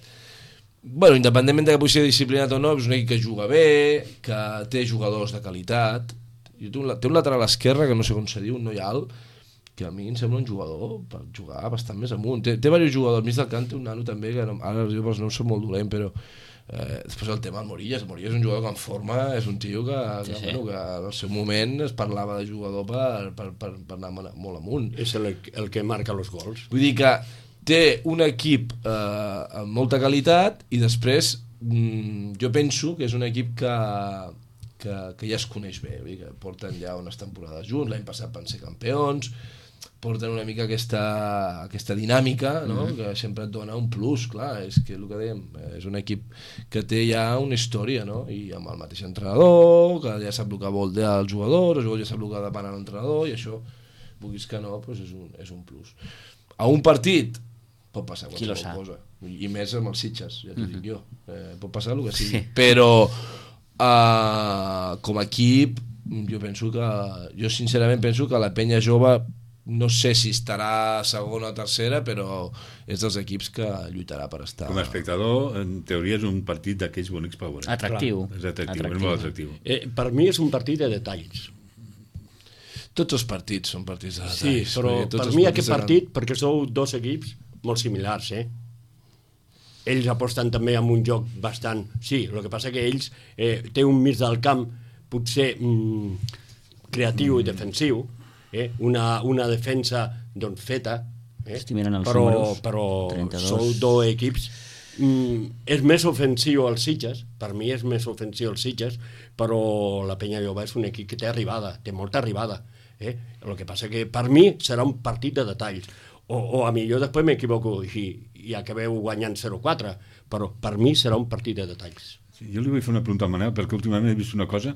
Bueno, independentment de que pugui ser disciplinat o no, és un equip que juga bé, que té jugadors de qualitat, té un lateral esquerre que no sé com se diu, un noi alt, que a mi em sembla un jugador per jugar bastant més amunt. Té diversos jugadors, al mig del camp té un nano també, que ara jo pels noms soc molt dolent, però després el tema del Morillas és un jugador que en forma, és un tio que al seu moment es parlava de jugador per anar molt amunt. És el que marca els gols. Vull dir que té un equip amb molta qualitat i després jo penso que és un equip que ja es coneix bé, vull dir que porten ja unes temporades junts, l'any passat van ser campions, porten una mica aquesta dinàmica, no? Que sempre et dona un plus, clar, és que el que dèiem, és un equip que té ja una història, no? I amb el mateix entrenador, que ja sap el que vol dir el jugador ja sap el que depèn l'entrenador, i això, vulguis que no, doncs és un plus. A un partit pot passar qualsevol cosa, i més amb els Sitges, ja t'ho dic jo, pot passar el que sigui, però com a equip jo sincerament penso que la penya jove no sé si estarà segona o tercera, però és dels equips que lluitarà per estar. Com a espectador, en teoria és un partit d'aquells bonics per veure. Atractiu. És atractiu, és molt atractiu. Per mi és un partit de detalls. Tots els partits són partits de detalls. Sí, però per mi aquest partit, perquè sou dos equips molt similars, ells aposten també amb un joc bastant... Sí, el que passa que ells té un mig del camp potser creatiu i defensiu, una defensa doncs feta, però sou dos equips. És més ofensiu els Sitges, per mi és més ofensiu els Sitges, però la Penya Jove és un equip que té arribada, té molta arribada. El que passa que per mi serà un partit de detalls. O a millor després m'equivoco i acabeu guanyant 0-4, però per mi serà un partit de detalls. Sí, jo li vull fer una pregunta al Manel, perquè últimament he vist una cosa.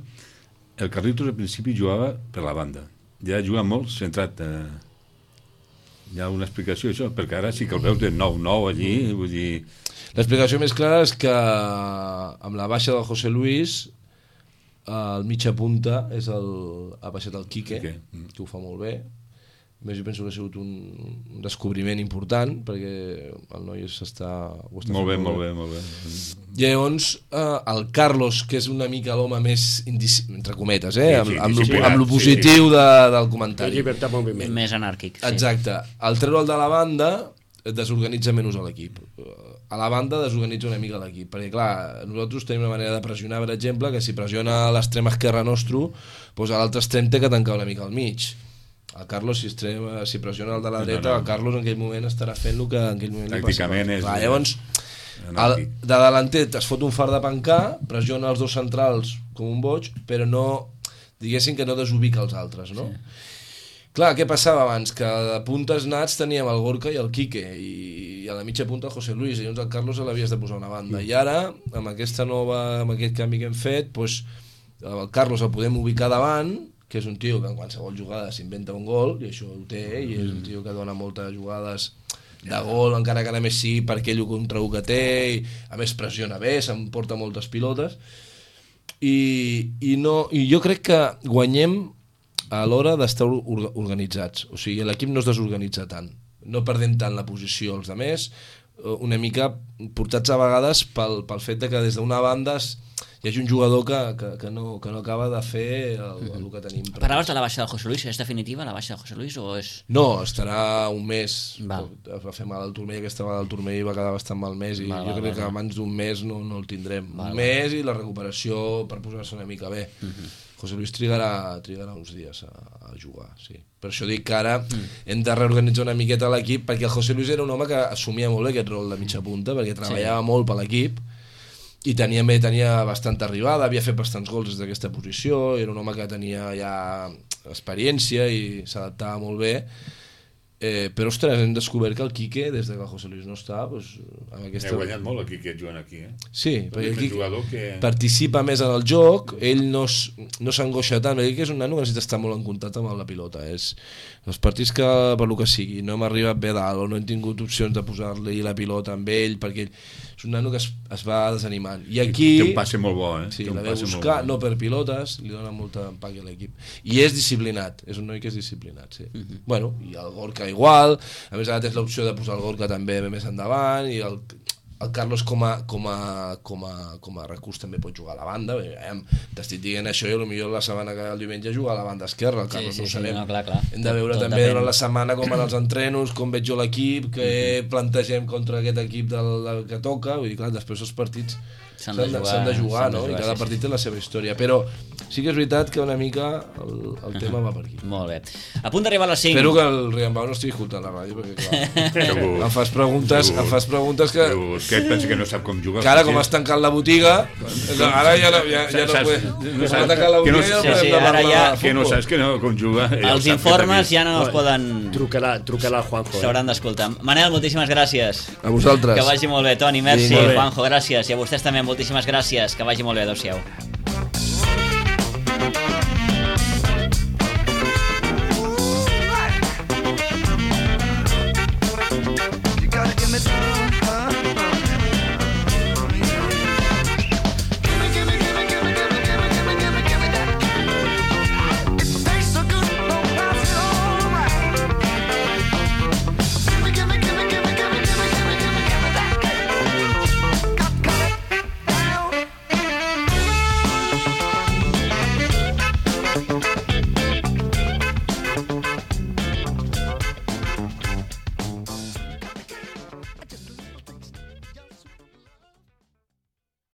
El Carlitos al principi jugava per la banda, ja juga molt centrat. Hi ha una explicació això, perquè ara sí que el veus de 9-9 allí, vull dir... L'explicació més clara és que amb la baixa del José Luis el mitja punta ha baixat el Quique, que ho fa molt bé. Més jo penso que ha sigut un descobriment important, perquè el noi s'està... Molt bé. Llavors, el Carlos, que és una mica l'home més, entre cometes, amb lo positiu del comentari. Llibertat de moviment. Més anàrquic. Sí. Exacte. Al treure'l de la banda, desorganitza menys l'equip. A la banda desorganitza una mica l'equip, perquè clar, nosaltres tenim una manera de pressionar, per exemple, que si pressiona l'extrem esquerre nostre, doncs a l'altre extrem té que tancar una mica al mig. El Carlos, si pressiona el de la dreta, el Carlos en aquell moment estarà fent el que en aquell moment tàcticament li passa. Llavors, de delanter es fot un far de pencar, pressiona els dos centrals com un boig, però no, diguéssim que no desubica els altres, no? Sí. Clar, què passava abans? Que de puntes nats teníem el Gorka i el Quique, i a la mitja punta el José Luis, i llavors el Carlos l'havies de posar a una banda. I ara, amb aquest canvi que hem fet, el Carlos el podem ubicar davant, que és un tio que en qualsevol jugada s'inventa un gol, i això ho té, i és un tio que dona moltes jugades de gol, encara que a més sí per aquell contra un que té, i a més pressiona bé, s'emporta moltes pilotes, i jo crec que guanyem a l'hora d'estar organitzats, o sigui, l'equip no es desorganitza tant, no perdem tant la posició als altres, una mica portats a vegades pel fet de que des d'una banda hi hagi un jugador que no acaba de fer el que tenim. Parlaves de la baixa del José Luis, és definitiva la baixa del José Luis o és...? No, estarà un mes, va fer mal al turmell, aquesta vegada el turmell va quedar bastant malmès i jo crec que abans d'un mes no el tindrem. Un mes i la recuperació per posar-se una mica bé. José Luis trigarà uns dies a jugar, sí. Per això dic que ara hem de reorganitzar una miqueta l'equip, perquè el José Luis era un home que assumia molt bé aquest rol de mitja punta, perquè treballava molt per l'equip, i tenia bastanta arribada, havia fet bastants gols des d'aquesta posició, era un home que tenia ja experiència i s'adaptava molt bé, però ostres, hem descobert que el Quique, des que el José Luis no està, amb aquesta... He guanyat molt el Quique jugant aquí, Sí, perquè el Quique participa més en el joc, ell no s'angoixa tant, perquè és un nano que necessita estar molt en contacte amb la pilota, els partits que, per lo que sigui, no hem arribat bé dalt o no hem tingut opcions de posar-li la pilota amb ell, perquè és un nano que es va desanimant. I aquí... Té un passe molt bo, Sí, la ve buscar, no per pilotes, li dona molta empaque a l'equip. I és disciplinat, és un noi que és disciplinat, sí. Bueno, i el Gorka igual, a més ara tens l'opció de posar el Gorka també més endavant, i el Carlos com a recurs també pot jugar a la banda. T'estic dient això i potser la setmana que el diumenge juga a la banda esquerra, el Carlos no ho sabem. No, clar. Hem de veure també durant la setmana com van els entrenos, com veig jo l'equip, què plantegem contra aquest equip que toca. Vull dir, clar, després els partits s'han de jugar, no? I cada partit té la seva història, però sí que és veritat que una mica el tema va per aquí. Molt bé. A punt d'arribar a les 5. Espero que el Riambau no estigui escoltant la ràdio, perquè clar, em fas preguntes que... Què et pensa que no sap com jugar? Que ara, com has tancat la botiga, ara ja no s'ha tancat la botiga i ja podem parlar de futbol. Que no saps que no com juga. Els informes ja no es poden... Truca-la a Juanjo. S'hauran d'escoltar. Manel, moltíssimes gràcies. A vosaltres. Que vagi molt bé. Toni, merci. Juanjo, gràcies. I a vostès també, moltíssimes gràcies. Que vagi molt bé. Adéu-siau.